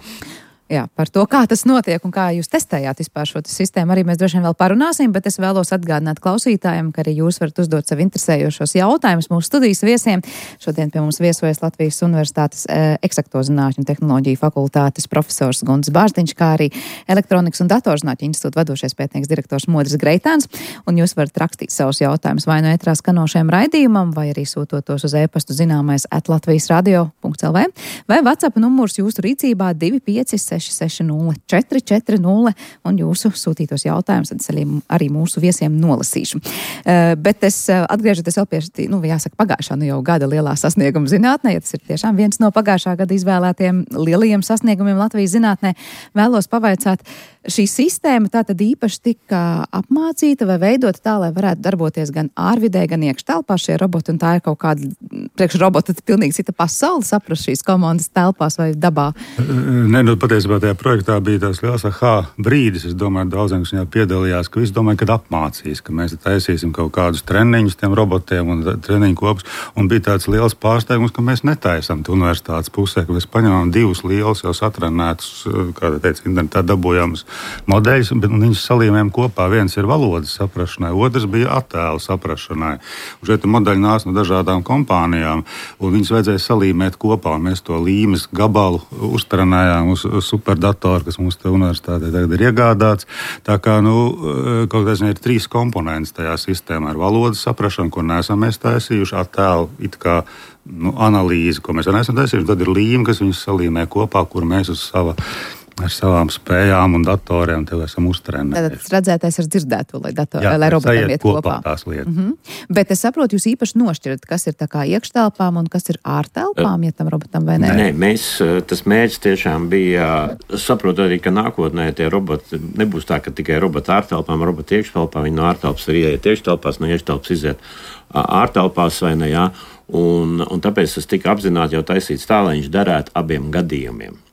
Jā, par to, kā tas notiek un kā jūs testējāt vispār šo sistēmu, arī mēs droši vien vēl parunāsim, bet es vēlos atgādināt klausītājiem, ka arī jūs varat uzdot sev interesējošos jautājumus mūsu studijas viesiem. Šodien pie mums viesojas Latvijas Universitātes e, eksakto zinātņu tehnoloģiju fakultātes profesors Gunts Bārziņš, kā arī Elektronikas un datorzinātņu institūta vadošais pētnieks direktors Modris Greitāns, un jūs varat rakstīt savus jautājumus vai no ētrā skanošajam raidījumam, vai arī sūtot tos uz e-pastu zināmais at latvijas radio punkts l v, vai WhatsApp numurs jūsu rīcībā divi pieci seši seši nulle četri četri nulle, un jūsu sūtītos jautājumus tad arī mūsu viesiem nolasīšu. Uh, bet es uh, atgriežoties vēl pie, nu, jāsaka, pagājušā nu jau gada lielā sasnieguma zinātnē, ja tas ir tiešām viens no pagājušā gada izvēlētiem lielajiem sasniegumiem Latvijas zinātnē, vēlos pavaicāt, šī sistēma tātad īpaši tika apmācīta vai veidota tā, lai varētu darboties gan ārvidē, gan iekštelpā šie roboti, un tā ir kaut kāda priekš robota pilnīgi cita pasaule, saprast šīs komandas telpās vai dabā? Nē, nu, patiesībā tajā projektā bija tās liels aha brīdis. Es domāju, daudziem, kas viņā piedalījās, ka visi domāja, kad apmācīs, ka mēs taisīsim kaut kādus treniņus tiem robotiem un treniņu kopus. Un bija tāds liels pārsteigums, ka mēs netaisam universitātes pusē, ka mēs paņemam divus lielus jau satrenētus, kā teica, internetā dabūjamus modeļus, bet viņus salīmējam kopā. Viens ir valodas saprašanai, otrs bija attēlu saprašanai. Un šeit modeļi nāca no dažādām kompānijām, un viņus vajadzēja salīmēt kopā, un mēs to līmes gabalu uztrenējām uz superdatoru, kas mums te universitātē tagad ir iegādāts. Tā kā, nu, kaut kā ir trīs komponents tajā sistēmā. Ir valodas saprašana, ko neesam mēs taisījuši, attēlu it kā nu, analīzi, ko mēs neesam taisījuši, tad ir līme, kas viņus salīmē kopā, kur mēs uz sava ar savām spējām un datoriem tev esam uztrenējuši. Tad redzētais ar dzirdēto, lai, dator, Jā, lai robotiem iet kopā. kopā tās lietas. Mm-hmm. Bet es saprotu, jūs īpaši nošķirat, kas ir tā kā iekštelpām un kas ir ārtelpām, ja tam robotam vai nē? Nē, mēs, tas mērķis tiešām bija, saprotu arī, ka nākotnē tie roboti nebūs tā, ka tikai roboti ārtelpām, roboti iekštelpām, viņi no ārtelpas ir ieiet iekštelpās, no iekštelpas iziet ārtelpās vai ne, jā. Un, un tāpēc tas tika apzināti jau taisīts tā, lai viņš derētu abiem gadījumiem.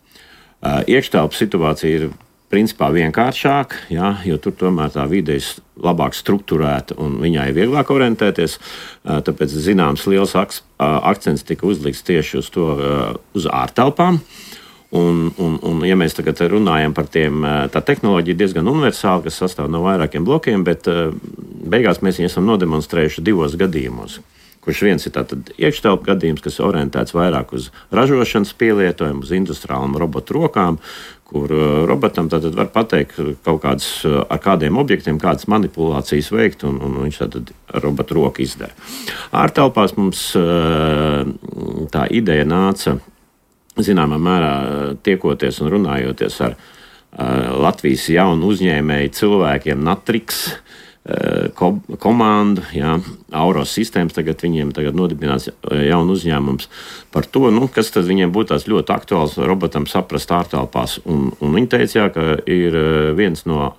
Iekštelpas situācija ir principā vienkāršāka, ja, jo tur tomēr tā vide ir labāk strukturēta un viņai ir vieglāk orientēties. Tāpēc zināms liels akcents tika uzlikts tieši uz to, uz ārtelpām. Un, un, un, ja mēs tagad runājam par tiem, tā tehnoloģija diezgan universāla, kas sastāv no vairākiem blokiem, bet beigās mēs viņu esam nodemonstrējuši divos gadījumos. Kurš viens ir tātad iekštelpu gadījums, kas orientēts vairāk uz ražošanas pielietojumu, uz industriālām robotu rokām, kur robotam tātad var pateikt kaut kādas, ar kādiem objektiem, kādas manipulācijas veikt, un, un viņš tātad robotu roku izdara. Ārtelpās mums tā ideja nāca, zināmā mērā, tiekoties un runājoties ar Latvijas jaunu uzņēmēju cilvēkiem Natrix, komandu, jā, Auros sistēmas, tagad viņiem tagad nodibinās jaunu uzņēmums par to, nu, kas tad viņiem būtu tās ļoti aktuāls robotam saprast ārtelpās. Un, un viņi teica, jā, ka ir viens no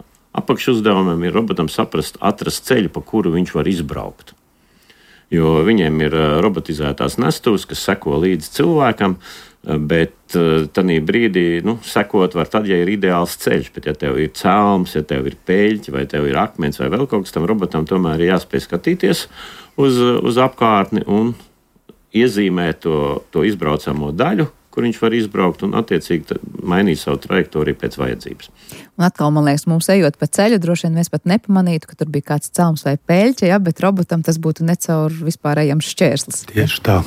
apakšuzdevumiem ir robotam saprast, atrast ceļu, pa kuru viņš var izbraukt. Jo viņiem ir robotizētās nestuves, kas seko līdz cilvēkam, bet tādā brīdī nu, sekot var tad, ja ir ideāls ceļš. Bet, ja tev ir cēlums, ja tev ir peļķi, vai tev ir akmens, vai vēl kaut kas, tam robotam tomēr ir jāspēj skatīties uz, uz apkārtni un iezīmēt to, to izbraucamo daļu, kur viņš var izbraukt un attiecīgi mainīt savu trajektoriju pēc vajadzības. Un atkal, man liekas, mums ejot pa ceļu, droši vien mēs pat nepamanītu, ka tur bija kāds cēlums vai peļķe, ja, bet robotam tas būtu necaur vispārējams šķērslis. Tieši tā.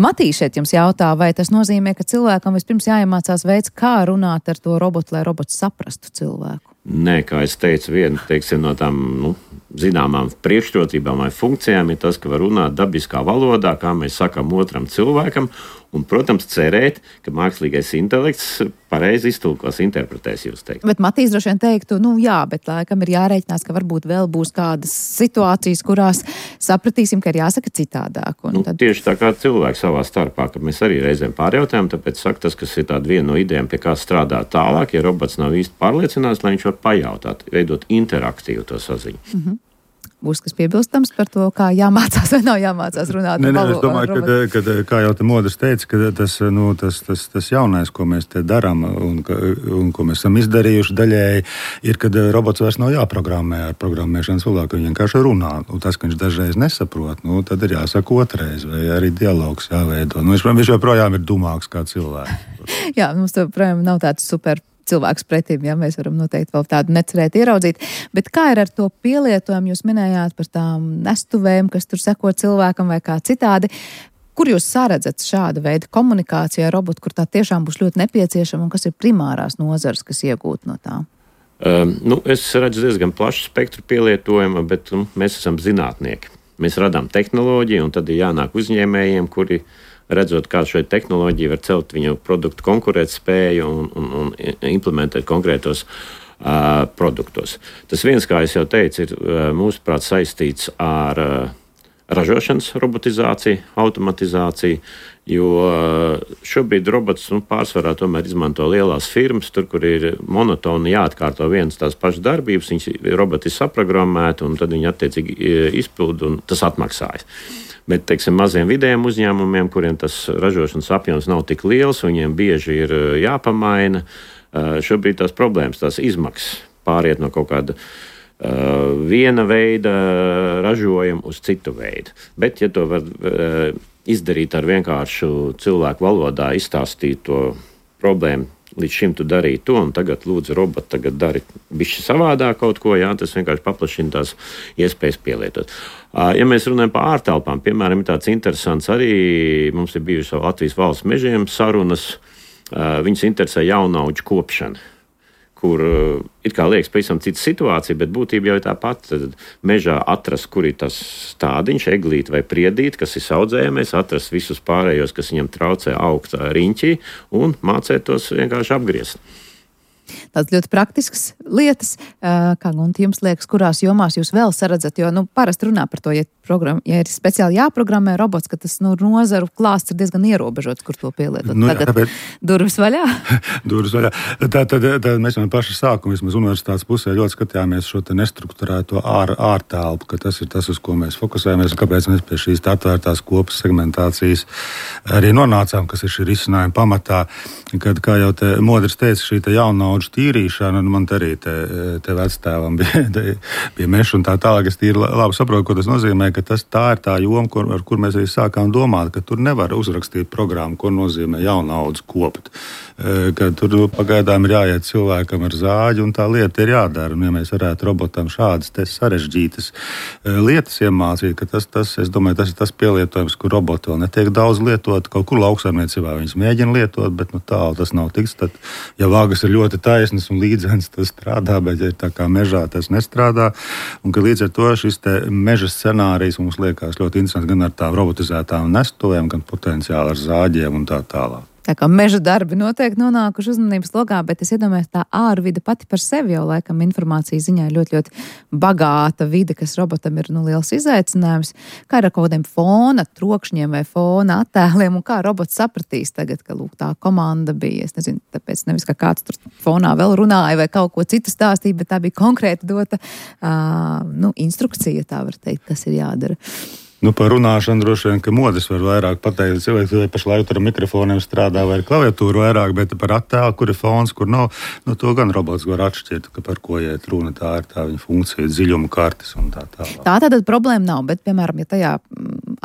Matīs šeit jums jautā, vai tas nozīmē, ka cilvēkam vispirms jāiemācās veids, kā runāt ar to robotu, lai robots saprastu cilvēku? Nē, kā es teicu, viena teiksim, no tām nu, zināmām priekšrocībām vai funkcijām ir tas, ka var runāt dabiskā valodā, kā mēs sakām otram cilvēkam, un, protams, cerēt, ka mākslīgais intelekts pareizi iztulkos, interpretēs jūs teikt. Bet Matīs droši vien teiktu, nu jā, bet laikam ir jārēķinās, ka varbūt vēl būs kādas situācijas, kurās sapratīsim, ka ir jāsaka citādāk. Nu, tad... Tieši tā kā cilvēki savā starpā, ka mēs arī reizēm pārjautājam, tāpēc saka tas, kas ir tāda viena no idejām, pie kā strādāt tālāk, ja robots nav īsti pārliecināts, lai viņš var pajautāt, veidot interaktīvu to saziņu. Mm-hmm. Būs kas piebilstams par to, kā jāmācās vai nav jāmācās runāt. Nē, nē, es domāju, ka, kad, kā jau te Modris teica, ka tas, nu, tas, tas, tas jaunais, ko mēs te darām un, un ko mēs esam izdarījuši daļēji, ir, kad robots vairs nav jāprogrammē ar programmēšanas valodu, ka viņš vienkārši runā. Un tas, ka viņš dažreiz nesaprot, nu, tad ir jāsaka otrais, vai arī dialogs jāveido. Nu, viņš, viņš joprojām ir dumāks kā cilvēks. Jā, mums joprojām nav tāds super cilvēks pretīm, ja mēs varam noteikti vēl tādu necerēt ieraudzīt. Bet kā ir ar to pielietojumu? Jūs minējāt par tām nestuvēm, kas tur seko cilvēkam vai kā citādi. Kur jūs saredzat šādu veidu komunikāciju ar robotu, kur tā tiešām būs ļoti nepieciešama un kas ir primārās nozares, kas iegūt no tā? Um, nu, es redzu diezgan plašu spektru pielietojumu, bet um, mēs esam zinātnieki. Mēs radām tehnoloģiju un tad ir jānāk uzņēmējiem, kuri redzot, kā šo tehnoloģiju var celt viņu produktu konkurētspēju un, un, un implementēt konkrētos uh, produktos. Tas viens, kā es jau teicu, ir uh, mūsuprāt saistīts ar uh, ražošanas robotizāciju, automatizāciju, jo uh, šobrīd robots nu, pārsvarā tomēr izmanto lielās firmas, tur, kur ir monotoni jāatkārto vienas tās pašas darbības, viņas roboti ir saprogrammēti un tad viņi attiecīgi izpild un tas atmaksājas. Bet, teiksim, maziem vidējiem uzņēmumiem, kuriem tas ražošanas apjoms nav tik liels, viņiem bieži ir jāpamaina. Šobrīd tās problēmas, tās izmaksas pāriet no kaut kāda uh, viena veida ražojuma uz citu veidu. Bet, ja to var uh, izdarīt ar vienkāršu cilvēku valodā, izstāstīt to problēmu, līdz šim tu darīji to, un tagad lūdzu roboti, tagad dari bišķi savādāk kaut ko, jā, tas vienkārši paplašina tās iespējas pielietot. Uh, ja mēs runājam par ārtelpām, piemēram, ir tāds interesants arī, mums ir bijuši Latvijas valsts mežiem sarunas, uh, viņas interesē jaunaudžu kopšana, kur it kā liekas pavisam cita situācija, bet būtība jau ir tā pati. Tad mežā atrast, kur ir tas stādiņš, eglīt vai priedīt, kas ir audzējamais, atrast visus pārējos, kas viņam traucē augt riņķī, un mācēt tos vienkārši apgriezt. Tādas ļoti praktiskas lietas, kā Gunta jums liekas, kurās jomās jūs vēl saredzat, jo, nu, parasti runā par to, ja, program, ja ir speciāli jāprogrammē robots, ka tas, nu, nozaru klāsts ir diezgan ierobežots, kur to pielietot. Nu, Tagad tāpēc, durvis vaļā? durvis vaļā. Tā, tad, tad mēs jau paši sākumu, vismaz universitātes pusē, ļoti skatījāmies šo te nestrukturēto ār, ārtelpu, ka tas ir tas, uz ko mēs fokusējamies, un kāpēc mēs pie šīs atvērtās kopas segmentācijas arī nonācām, kas ir šī risinājuma pamatā, kad, kā jau te Modris teica, šī te jaunauģu tīrīšana, un man arī te, te vectēvam bija, te, bija meša un tā tālāk, es tīri labi saprotu, ko tas nozīmē, ka tas tā ir tā joma, kur, ar kur mēs arī sākām domāt, ka tur nevar uzrakstīt programmu, ko nozīmē jaunaudzes kopt. Ka tur pagaidām ir jāiet cilvēkam ar zāģi, un tā lieta ir jādara. Un ja mēs varētu robotam šādas te sarežģītas lietas iemācīt, ka tas, tas, es domāju, tas ir tas pielietojums, kur roboti vēl netiek daudz lietot, kaut kur lauksaimniecībā viņas mēģina lietot, bet nu tālu tas nav tiks. Tad, ja vāgas ir ļoti taisnas un līdzens, tas strādā, bet ja ir tā kā mežā, tas nestrādā. Un ka līdz ar to šis te meža scenārijs mums liekas ļoti interesants gan ar tām robotizētām nestuvēm, gan potenciāli ar zāģiem un tā tālāk. Tā kā meža darbi noteikti nonākuši uzmanības lokā, bet es iedomājos, tā ārvide pati par sevi jau laikam informācijas ziņā ir ļoti, ļoti bagāta vide, kas robotam ir nu, liels izaicinājums. Kā ar kaut kādiem fona trokšņiem vai fona attēliem, un kā robots sapratīs tagad, ka lūk, tā komanda bija, es nezinu, tāpēc nevis, ka kāds tur fonā vēl runāja vai kaut ko citu stāstīja, bet tā bija konkrēti dota uh, nu, instrukcija, tā var teikt, kas ir jādara. Nu, par runāšanu droši vien, ka Modris var vairāk pateikt. Cilvēki vai pašlaik ar mikrofoniem strādā vai ar klaviatūru vairāk, bet par attēlu, kur ir fons, kur nav, nu, to gan robots var atšķirt, ka par ko iet runa, tā ir tā viņa funkcija, dziļuma kartes un tā tālāk. Tā tātad problēma nav, bet, piemēram, ja tajā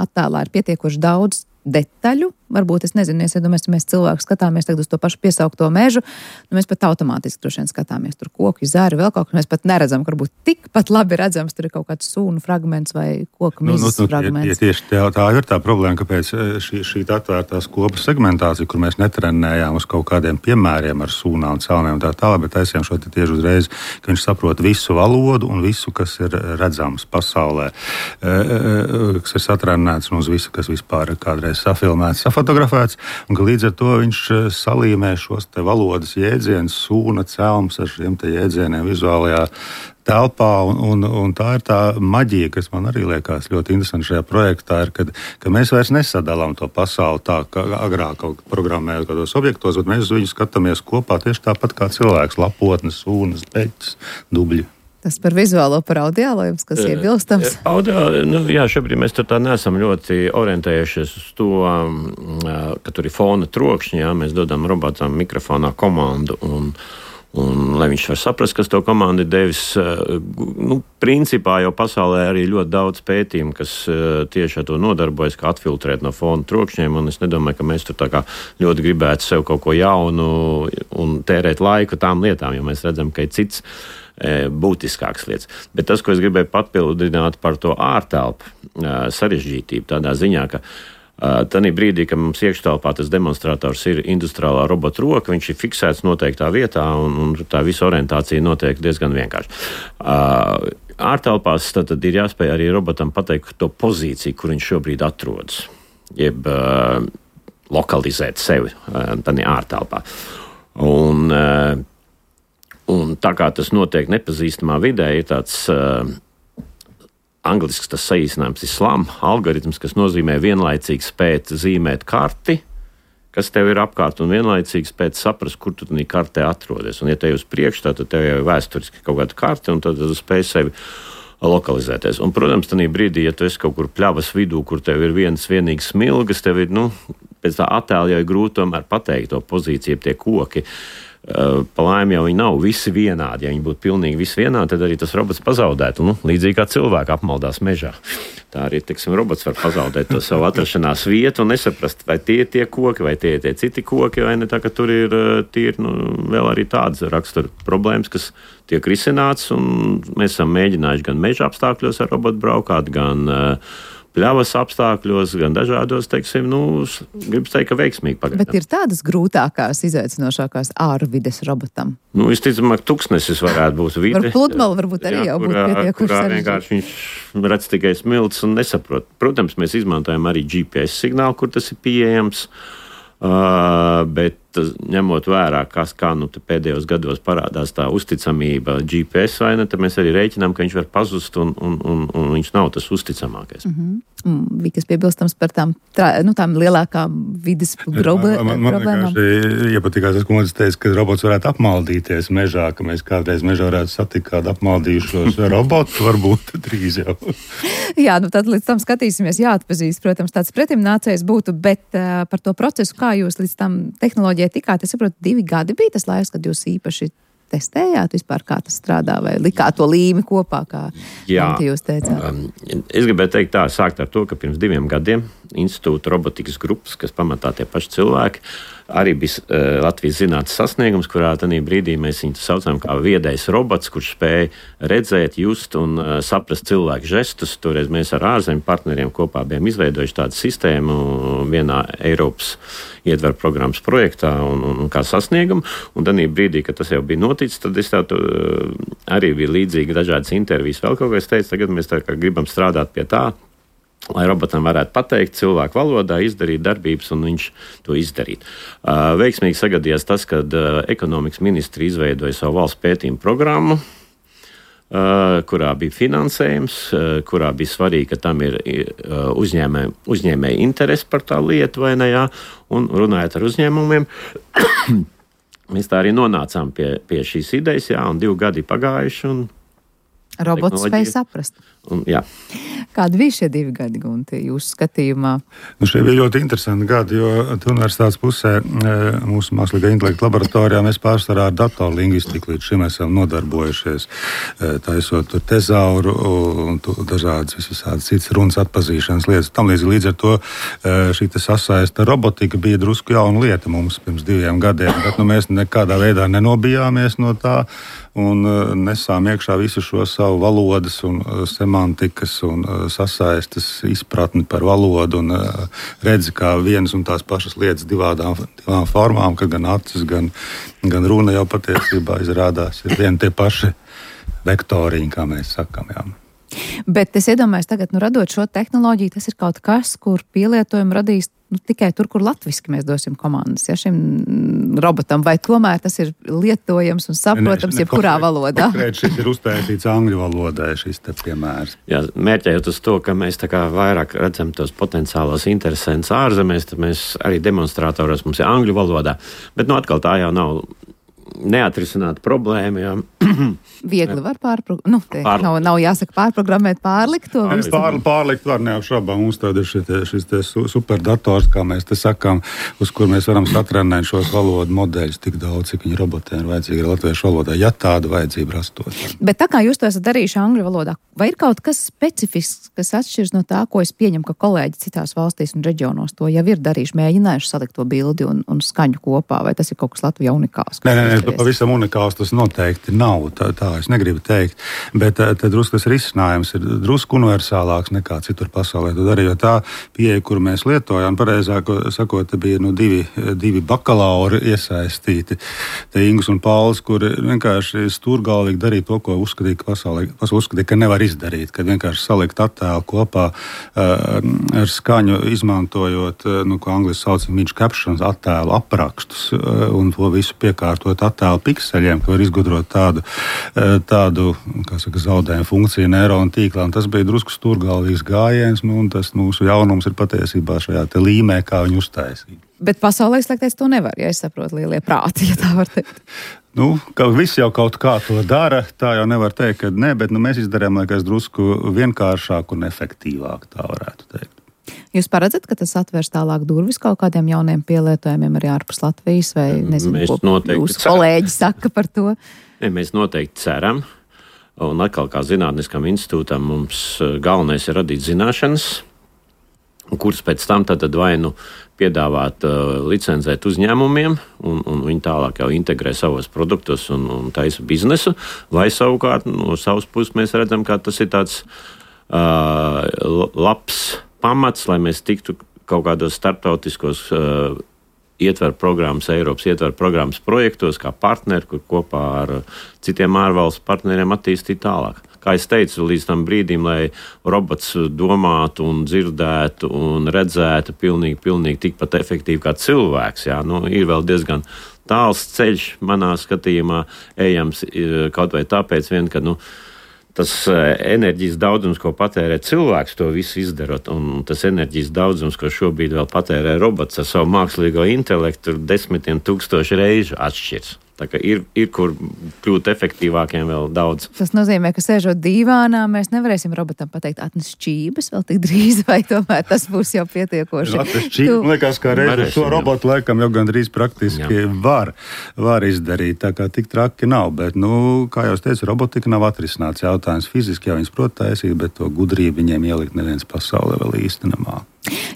attēlā ir pietiekoši daudz detaļu, varbūt, es nezinu, es iedomājos, ja mēs cilvēku skatāmies tagad uz to pašu piesaukto mežu, nu mēs pat automātiski droši vien skatāmies tur koku, zāri, vēl kaut ko, mēs pat neredzam, ka varbūt tikpat labi redzams, tur ir kaut kāds sūnu fragments vai koka mizas nu, nu, fragments. Ja, ja tieši tā, tā ir tā problēma, kāpēc šī, šī atvērtās kopas segmentācija, kur mēs netrenējām uz kaut kādiem piemēriem ar sūnām, celmiem un tā tālāk, bet taisījām šo te tieši uzreiz, ka viņš saprot visu valodu un visu, kas ir redzams pasaulē, kas ir satrenēts un uz visu, kas vispār ir kādreiz safilmēts, safotografēts, un ka līdz ar to viņš salīmē šos te valodas jēdzienus, sūna, celms ar šiem te jēdzieniem vizuālajā telpā, un, un, un tā ir tā maģija, kas man arī liekas ļoti interesanti šajā projektā, ir, kad, ka mēs vairs nesadalām to pasauli tā, kā agrāk kaut programmējot kādos objektos, bet mēs uz viņu skatāmies kopā tieši tāpat kā cilvēks, lapotnes, sūnas, beļķis, dubļi. Tas par vizuālo, par audiālo jums, kas iebilstams? Audio, nu, jā, šobrīd mēs tur tā neesam ļoti orientējušies uz to, ka tur ir fona trokšņi, jā, mēs dodam robotam mikrofonā komandu un Un, lai viņš var saprast, kas to komandu ir devis, nu, principā jau pasaulē arī ļoti daudz pētījumu, kas tieši ar to nodarbojas, kā atfiltrēt no fona trokšņiem, un es nedomāju, ka mēs tur tā kā ļoti gribētu sev kaut ko jaunu un tērēt laiku tām lietām, jo mēs redzam, ka ir cits būtiskāks lietas. Bet tas, ko es gribēju papildināt par to ārtelpu sarežģītību, tādā ziņā, ka Tanī brīdī, kad mums iekštelpā tas demonstrators ir industriālā robota roka, viņš ir fiksēts noteiktā vietā, un, un tā visa orientācija notiek diezgan vienkārši. Ārtelpās tad, tad ir jāspēj arī robotam pateikt to pozīciju, kur viņš šobrīd atrodas, jeb uh, lokalizēt sevi uh, tanī ārtelpā. Un, uh, un tā kā tas notiek nepazīstamā vidē, ir tāds uh, Angliski tas saīsinājums ir SLAM algoritms, kas nozīmē vienlaicīgi spēt zīmēt karti, kas tev ir apkārt, un vienlaicīgi spēt saprast, kur tu tādā kartē atrodies. Un, ja tev uz priekšu, tad tev jau ir vēsturiski kaut kāda karte, un tad tu spēj sevi lokalizēties. Un, protams, tajā brīdī, ja tu esi kaut kur pļavas vidū, kur tev ir viens vienīgs smilgas, tev ir, nu, pēc tā attēla jau ir grūti tomēr pateikt to pozīciju, tie koki. Pa laimi jau viņi nav visi vienādi. Ja viņi būtu pilnīgi visi vienādi, tad arī tas robots pazaudētu. Nu, līdzīgi kā cilvēki apmaldās mežā. Tā arī, teiksim, robots var pazaudēt to savu atrašanās vietu un nesaprast, vai tie ir tie koki, vai tie ir tie citi koki, vai ne tā, ka tur ir tīri, nu, vēl arī tādas rakstura problēmas, kas tiek risināts, un mēs esam mēģinājuši gan meža apstākļos ar robotu braukāt, gan uh, pļavas apstākļos, gan dažādos, teiksim, nu, gribas teikt, ka veiksmīgi pagaidām. Bet ir tādas grūtākās, izaicinošākās ārvides robotam? Nu, visticamāk, tuksnesis varētu būt vide. Var pludmali varbūt arī jā, jau būt pietiekuši sarežģīti. Vienkārši viņš redz tikai smilts un nesaprot. Protams, mēs izmantojam arī G P S signālu, kur tas ir pieejams, uh, bet ņemot vērā, kas kā nu pēdējos gados parādās tā uzticamība G P S vai ne, tad mēs arī rēķinām, ka viņš var pazust un, un, un, un viņš nav tas uzticamākais. Mm-hmm. Vikas piebilstams par tām, tā, nu, tām lielākām vides problēmām. Man, man vienkārši iepatikās, tas, ko man teica, ka robots varētu apmaldīties mežā, ka mēs kādreiz mežā varētu satikt kādu apmaldījušos robotu, varbūt drīz jau. Jā, nu tad līdz tam skatīsimies, jāatpazīst, protams, tāds pretimnācējs būtu, bet uh, par to procesu, kā jūs līdz tam tehnoloģijai tikāt, es saprotu, divi gadi bija tas laiks, kad jūs īpaši testējāt vispār, kā tas strādā, vai likāt to līmi kopā, kā jūs teicāt? Um, es gribēju teikt tā, sākt ar to, ka pirms diviem gadiem institūta robotikas grupas, kas pamatā tie paši cilvēki, arī bija uh, Latvijas zinātnes sasniegums, kurā tanī brīdī mēs viņu saucam kā viedais robots, kurš spēja redzēt, just un uh, saprast cilvēku žestus. Toreiz mēs ar ārzemju partneriem kopā bijām izveidojuši tādu sistēmu vienā Eiropas ietver programmas projektā un, un, un kā sasniegumu. Un tanī brīdī, kad tas jau bija noticis, tad es tādu uh, arī bija līdzīgi dažādas intervijas vēl kaut ko es teicu, tagad mēs tā kā gribam strādāt pie tā, lai robotam varētu pateikt cilvēku valodā, izdarīt darbības, un viņš to izdarīt. Uh, veiksmīgi sagadījās tas, kad uh, ekonomikas ministri izveidoja savu valsts pētījumu programmu, uh, kurā bija finansējums, uh, kurā bija svarīgi, ka tam ir uh, uzņēmē, uzņēmēji interesi par tā lietu, vai ne, jā, un runājot ar uzņēmumiem, mēs tā arī nonācām pie, pie šīs idejas, jā, un divi gadi pagājuši, un robots spēja saprast. Un, jā. Kādi bija šie divi gadi, Gunti, jūsu skatījumā? Nu, šie bija ļoti interesanti gadi, jo universitātes pusē mūsu mākslīgā intelekta laboratorijā mēs pārsvarā ar datorlingvistiku līdz šim esam nodarbojušies, taisot tur tezauru un dažādas visādas citas runas atpazīšanas lietas. Tam līdz, līdz ar to šī sasaista robotika bija drusku jauna lieta mums pirms diviem gadiem, bet nu, mēs nekādā veidā nenobijāmies no tā un nesām iekšā visu šo savu valodas un semantikas un sasaistas izpratni par valodu un redzi, kā vienas un tās pašas lietas divādām, divām formām, ka gan acis, gan, gan runa jau patiesībā izrādās ir vieni tie paši vektoriņi, kā mēs sakam, jā. Bet es iedomājos tagad, nu, radot šo tehnoloģiju, tas ir kaut kas, kur pielietojumu radīs nu, tikai tur, kur latviski mēs dosim komandas, ja šim robotam, vai tomēr tas ir lietojams un saprotams, ne, ne, jebkurā konkrēt, valodā? Konkrēt šis ir uztaisīts angļu valodai, šis te piemērs. Jā, mērķējot uz to, ka mēs tā kā vairāk redzam tos potenciālos interesantus ārzemēs, tad mēs arī demonstratoros mums ir angļu valodā, bet nu atkal tā jau nav neatrisināta problēma, jā. Viegli var pārprogrammēt, nu, te Pār... nav, nav jāsaka pārprogrammēt, pārlikt to. Pār, pārlikt var neapšaubām, mums tāda ir šite, šis te superdators, kā mēs te sakām, uz kur mēs varam satrenēt šos valodu modeļus tik daudz, cik viņi robotiem ir vajadzīgi latviešu valodā, ja tāda vajadzība rastos. Bet tā kā jūs to esat darījuši angļu valodā, vai ir kaut kas specifisks, kas atšķirs no tā, ko es pieņemu, ka kolēģi citās valstīs un reģionos to jau ir darījuši, mēģinājuši salikt to bildi un, un skaņu kopā, vai tas ir kaut kas Latvijā unikāls? Nē, nē, nē, pavisam unikāls tas noteikti nav, tā, tā es negribu teikt, bet te drusku tas risinājums ir drusku universālāks nekā citur pasaulē. To darīja, jo tā pieeja, kuru mēs lietojām, pareizāk sakot, bija nu, divi, divi bakalauri iesaistīti, te Ingus un Pauls, kuri vienkārši stūrgalvīgi darīja to, ko uzskatīja, ka pasaulē, pasaulē uzskatīja, ka nevar izdarīt, kad vienkārši salikt attēlu kopā uh, ar skaņu, izmantojot, uh, nu, ko angliski sauc image captions, attēlu aprakstus uh, un to visu piekārtot attēlu pikseļiem, ka var izgudrot tādu, tādu kā saka, zaudējumu funkciju neironu tīklā. Un tas bija drusku stūrgalvīgs gājiens, nu, un tas mūsu jaunums ir patiesībā šajā te līmē, kā viņu uztaisīt. Bet pasaulē slēgties to nevar, ja es saprotu, lielie prāti, ja tā var teikt. Nu, ka viss jau kaut kā to dara, tā jau nevar teikt, ka nē, bet nu, mēs izdarījām, liekas, drusku vienkāršāk un efektīvāk, tā varētu teikt. Jūs paredzat, ka tas atvērs tālāk durvis kaut kādiem jauniem pielietojumiem arī ārpus Latvijas, vai nezinu, mēs ko jūsu kolēģi saka par to? Ne, mēs noteikti ceram, un atkal kā zinātniskam institūtam mums galvenais ir radīt zināšanas, kuras pēc tam tad vai nu piedāvāt uh, licencēt uzņēmumiem, un, un viņi tālāk jau integrē savos produktus un, un taisa biznesu, vai savukārt no savas puses mēs redzam, ka tas ir tāds uh, labs pamats, lai mēs tiktu kaut kādos starptautiskos uh, ietver programmas, Eiropas ietver programmas projektos, kā partneri, kur kopā ar citiem ārvalstu partneriem attīstīt tālāk. Kā es teicu, līdz tam brīdim, lai robots domātu un dzirdētu un redzētu pilnīgi, pilnīgi tikpat efektīvi kā cilvēks, jā, nu, ir vēl diezgan tāls ceļš manā skatījumā ejams, kaut vai tāpēc vien, ka, nu, tas enerģijas daudzums, ko patērē cilvēks, to visu izdarot, un tas enerģijas daudzums, ko šobrīd vēl patērē robots ar savu mākslīgo intelektu, desmitiem tūkstoši reižu atšķirs. Tā kā ir, ir kur kļūt efektīvākiem vēl daudz. Tas nozīmē, ka sēžot dīvānā, mēs nevarēsim robotam pateikt atnes šķības vēl tik drīz, vai tomēr tas būs jau pietiekoši. Atnes šķības, tu... liekas, kā reiz šo robotu laikam jau gandrīz praktiski var, var izdarīt, tā kā tik traki nav, bet, nu, kā jau es teicu, robotika nav atrisināts jautājums. Fiziski jau viņas prot taisīt, bet to gudrību viņiem ielikt neviens pasaulē vēl īsti nemāk.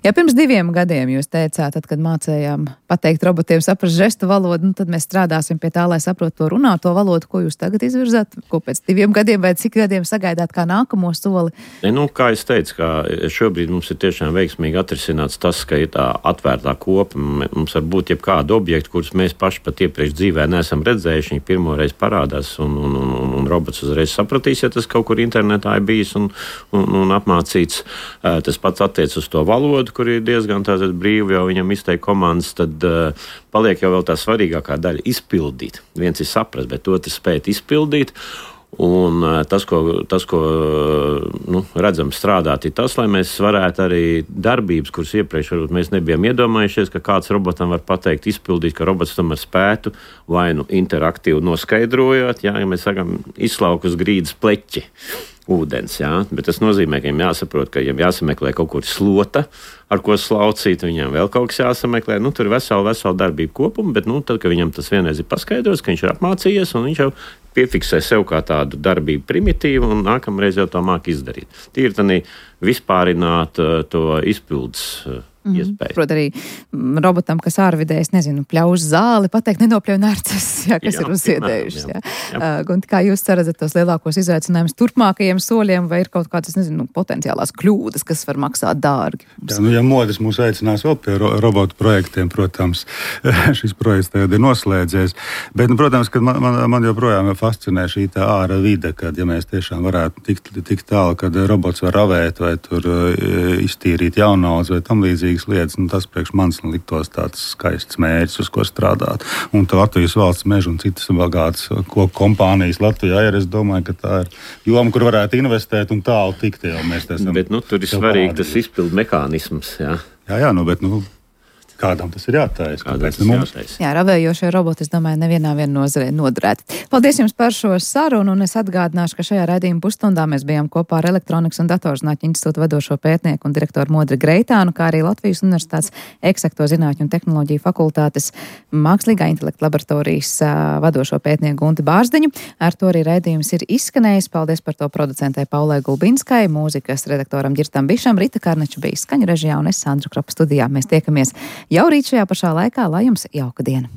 Ja pirms diviem gadiem jūs teicāt, tad, kad mācējām pateikt robotiem saprast žestu valodu, nu, tad mēs strādāsim pie tā, lai saprotu to runāto valodu, ko jūs tagad izvirzāt, ko pēc diviem gadiem vai cik gadiem sagaidāt kā nākamo soli? Ne, nu, kā es teicu, ka šobrīd mums ir tiešām veiksmīgi atrisināts tas, ka ir tā atvērtā kopa. Mums var būt jebkāda objekta, kurus mēs paši pat iepriekš dzīvē neesam redzējuši, viņi pirmoreiz parādās un, un, un, un robots uzreiz sapratīs, ja tas kaut kur internetā ir bijis un, un, un apmācīts. Tas pats attiec uz to valodu, kur ir diezgan tātad brīvi jau viņam izteikt komandas, tad uh, paliek jau vēl tā svarīgākā daļa izpildīt. Viens ir saprast, bet otrs spēt izpildīt. Un uh, tas, ko, tas, ko uh, nu, redzam strādāt, ir tas, lai mēs varētu arī darbības, kuras iepriekš varbūt mēs nebijām iedomājušies, ka kāds robotam var pateikt, izpildīt, ka robots tomēr spētu vai nu interaktīvi noskaidrojot, jā, ja mēs sakam, izslauk uz grīdas pleķi. Ūdens, jā, bet tas nozīmē, ka viņam jāsaprot, ka viņam jāsameklē kaut kur slota, ar ko slaucīt, viņam vēl kaut kas jāsameklē. Nu, tur ir vesela, vesela darbība kopuma, bet, nu, tad, kad viņam tas vienreiz ir paskaidrots, ka viņš ir apmācījies un viņš jau piefiksē sev kā tādu darbību primitīvu un nākamreiz jau to māk izdarīt. Tīri tad vispārināt uh, to izpildes uh, Mm, iespēju. Prot arī robotam, kas ārvidē, es nezinu, pļauž zāli, pateikt nenopļauj narcas, jā, kas jā, ir uzsiedējušas. Jā. Jā. Jā. Uh, kā jūs ceredzat tos lielākos izaicinājumus turpmākajiem soļiem, vai ir kaut kādas, nezinu, potenciālās kļūdas, kas var maksāt dārgi? Jā, nu, ja modes mūs aicinās vēl pie ro robotu projektiem, protams, šis projekts tagad ir noslēdzies, bet, nu, protams, ka man, man, man joprojām fascinē šī tā āra vide, kad, ja mēs tiešām varētu tikt tik tālu, kad robots var ravēt vai tur uh, iztīrīt jaunaudz vai tam līdzīgi lietas, nu, tas priekš manis liktos tāds skaists mērķis, uz ko strādāt. Un tā Latvijas valsts meža un citas bagātas koku kompānijas Latvijā ir, es domāju, ka tā ir joma, kur varētu investēt un tālu tikt, jau mēs esam. Bet, nu, tur ir svarīgi tas izpildu mehānisms, jā. Jā, jā, nu, bet, nu, kādam tas ir jātaisa? Kādam tas ir jātaisa? Jā, ravējošie roboti, es domāju, nevienā vien nozarē noderētu. Paldies jums par šo sarunu, un es atgādināšu, ka šajā raidījuma pusstundā mēs bijām kopā ar Elektronikas un datorzinātņu institūta vadošo pētnieku un direktoru Modri Greitānu, kā arī Latvijas Universitātes Eksakto zinātņu un tehnoloģiju fakultātes mākslīgā intelekta laboratorijas vadošo pētnieku Gunti Bārzdiņu. Ar to arī raidījums ir izskanējis. Paldies par to producentei Paulai Gulbinskai, mūzikas redaktoram Ģirtam Bišam, Rita Karneča bija skaņu režijā un es Sandra Kropa studijā. Mēs tiekamies jau rīt šajā pašā laikā, lai jums jauka diena!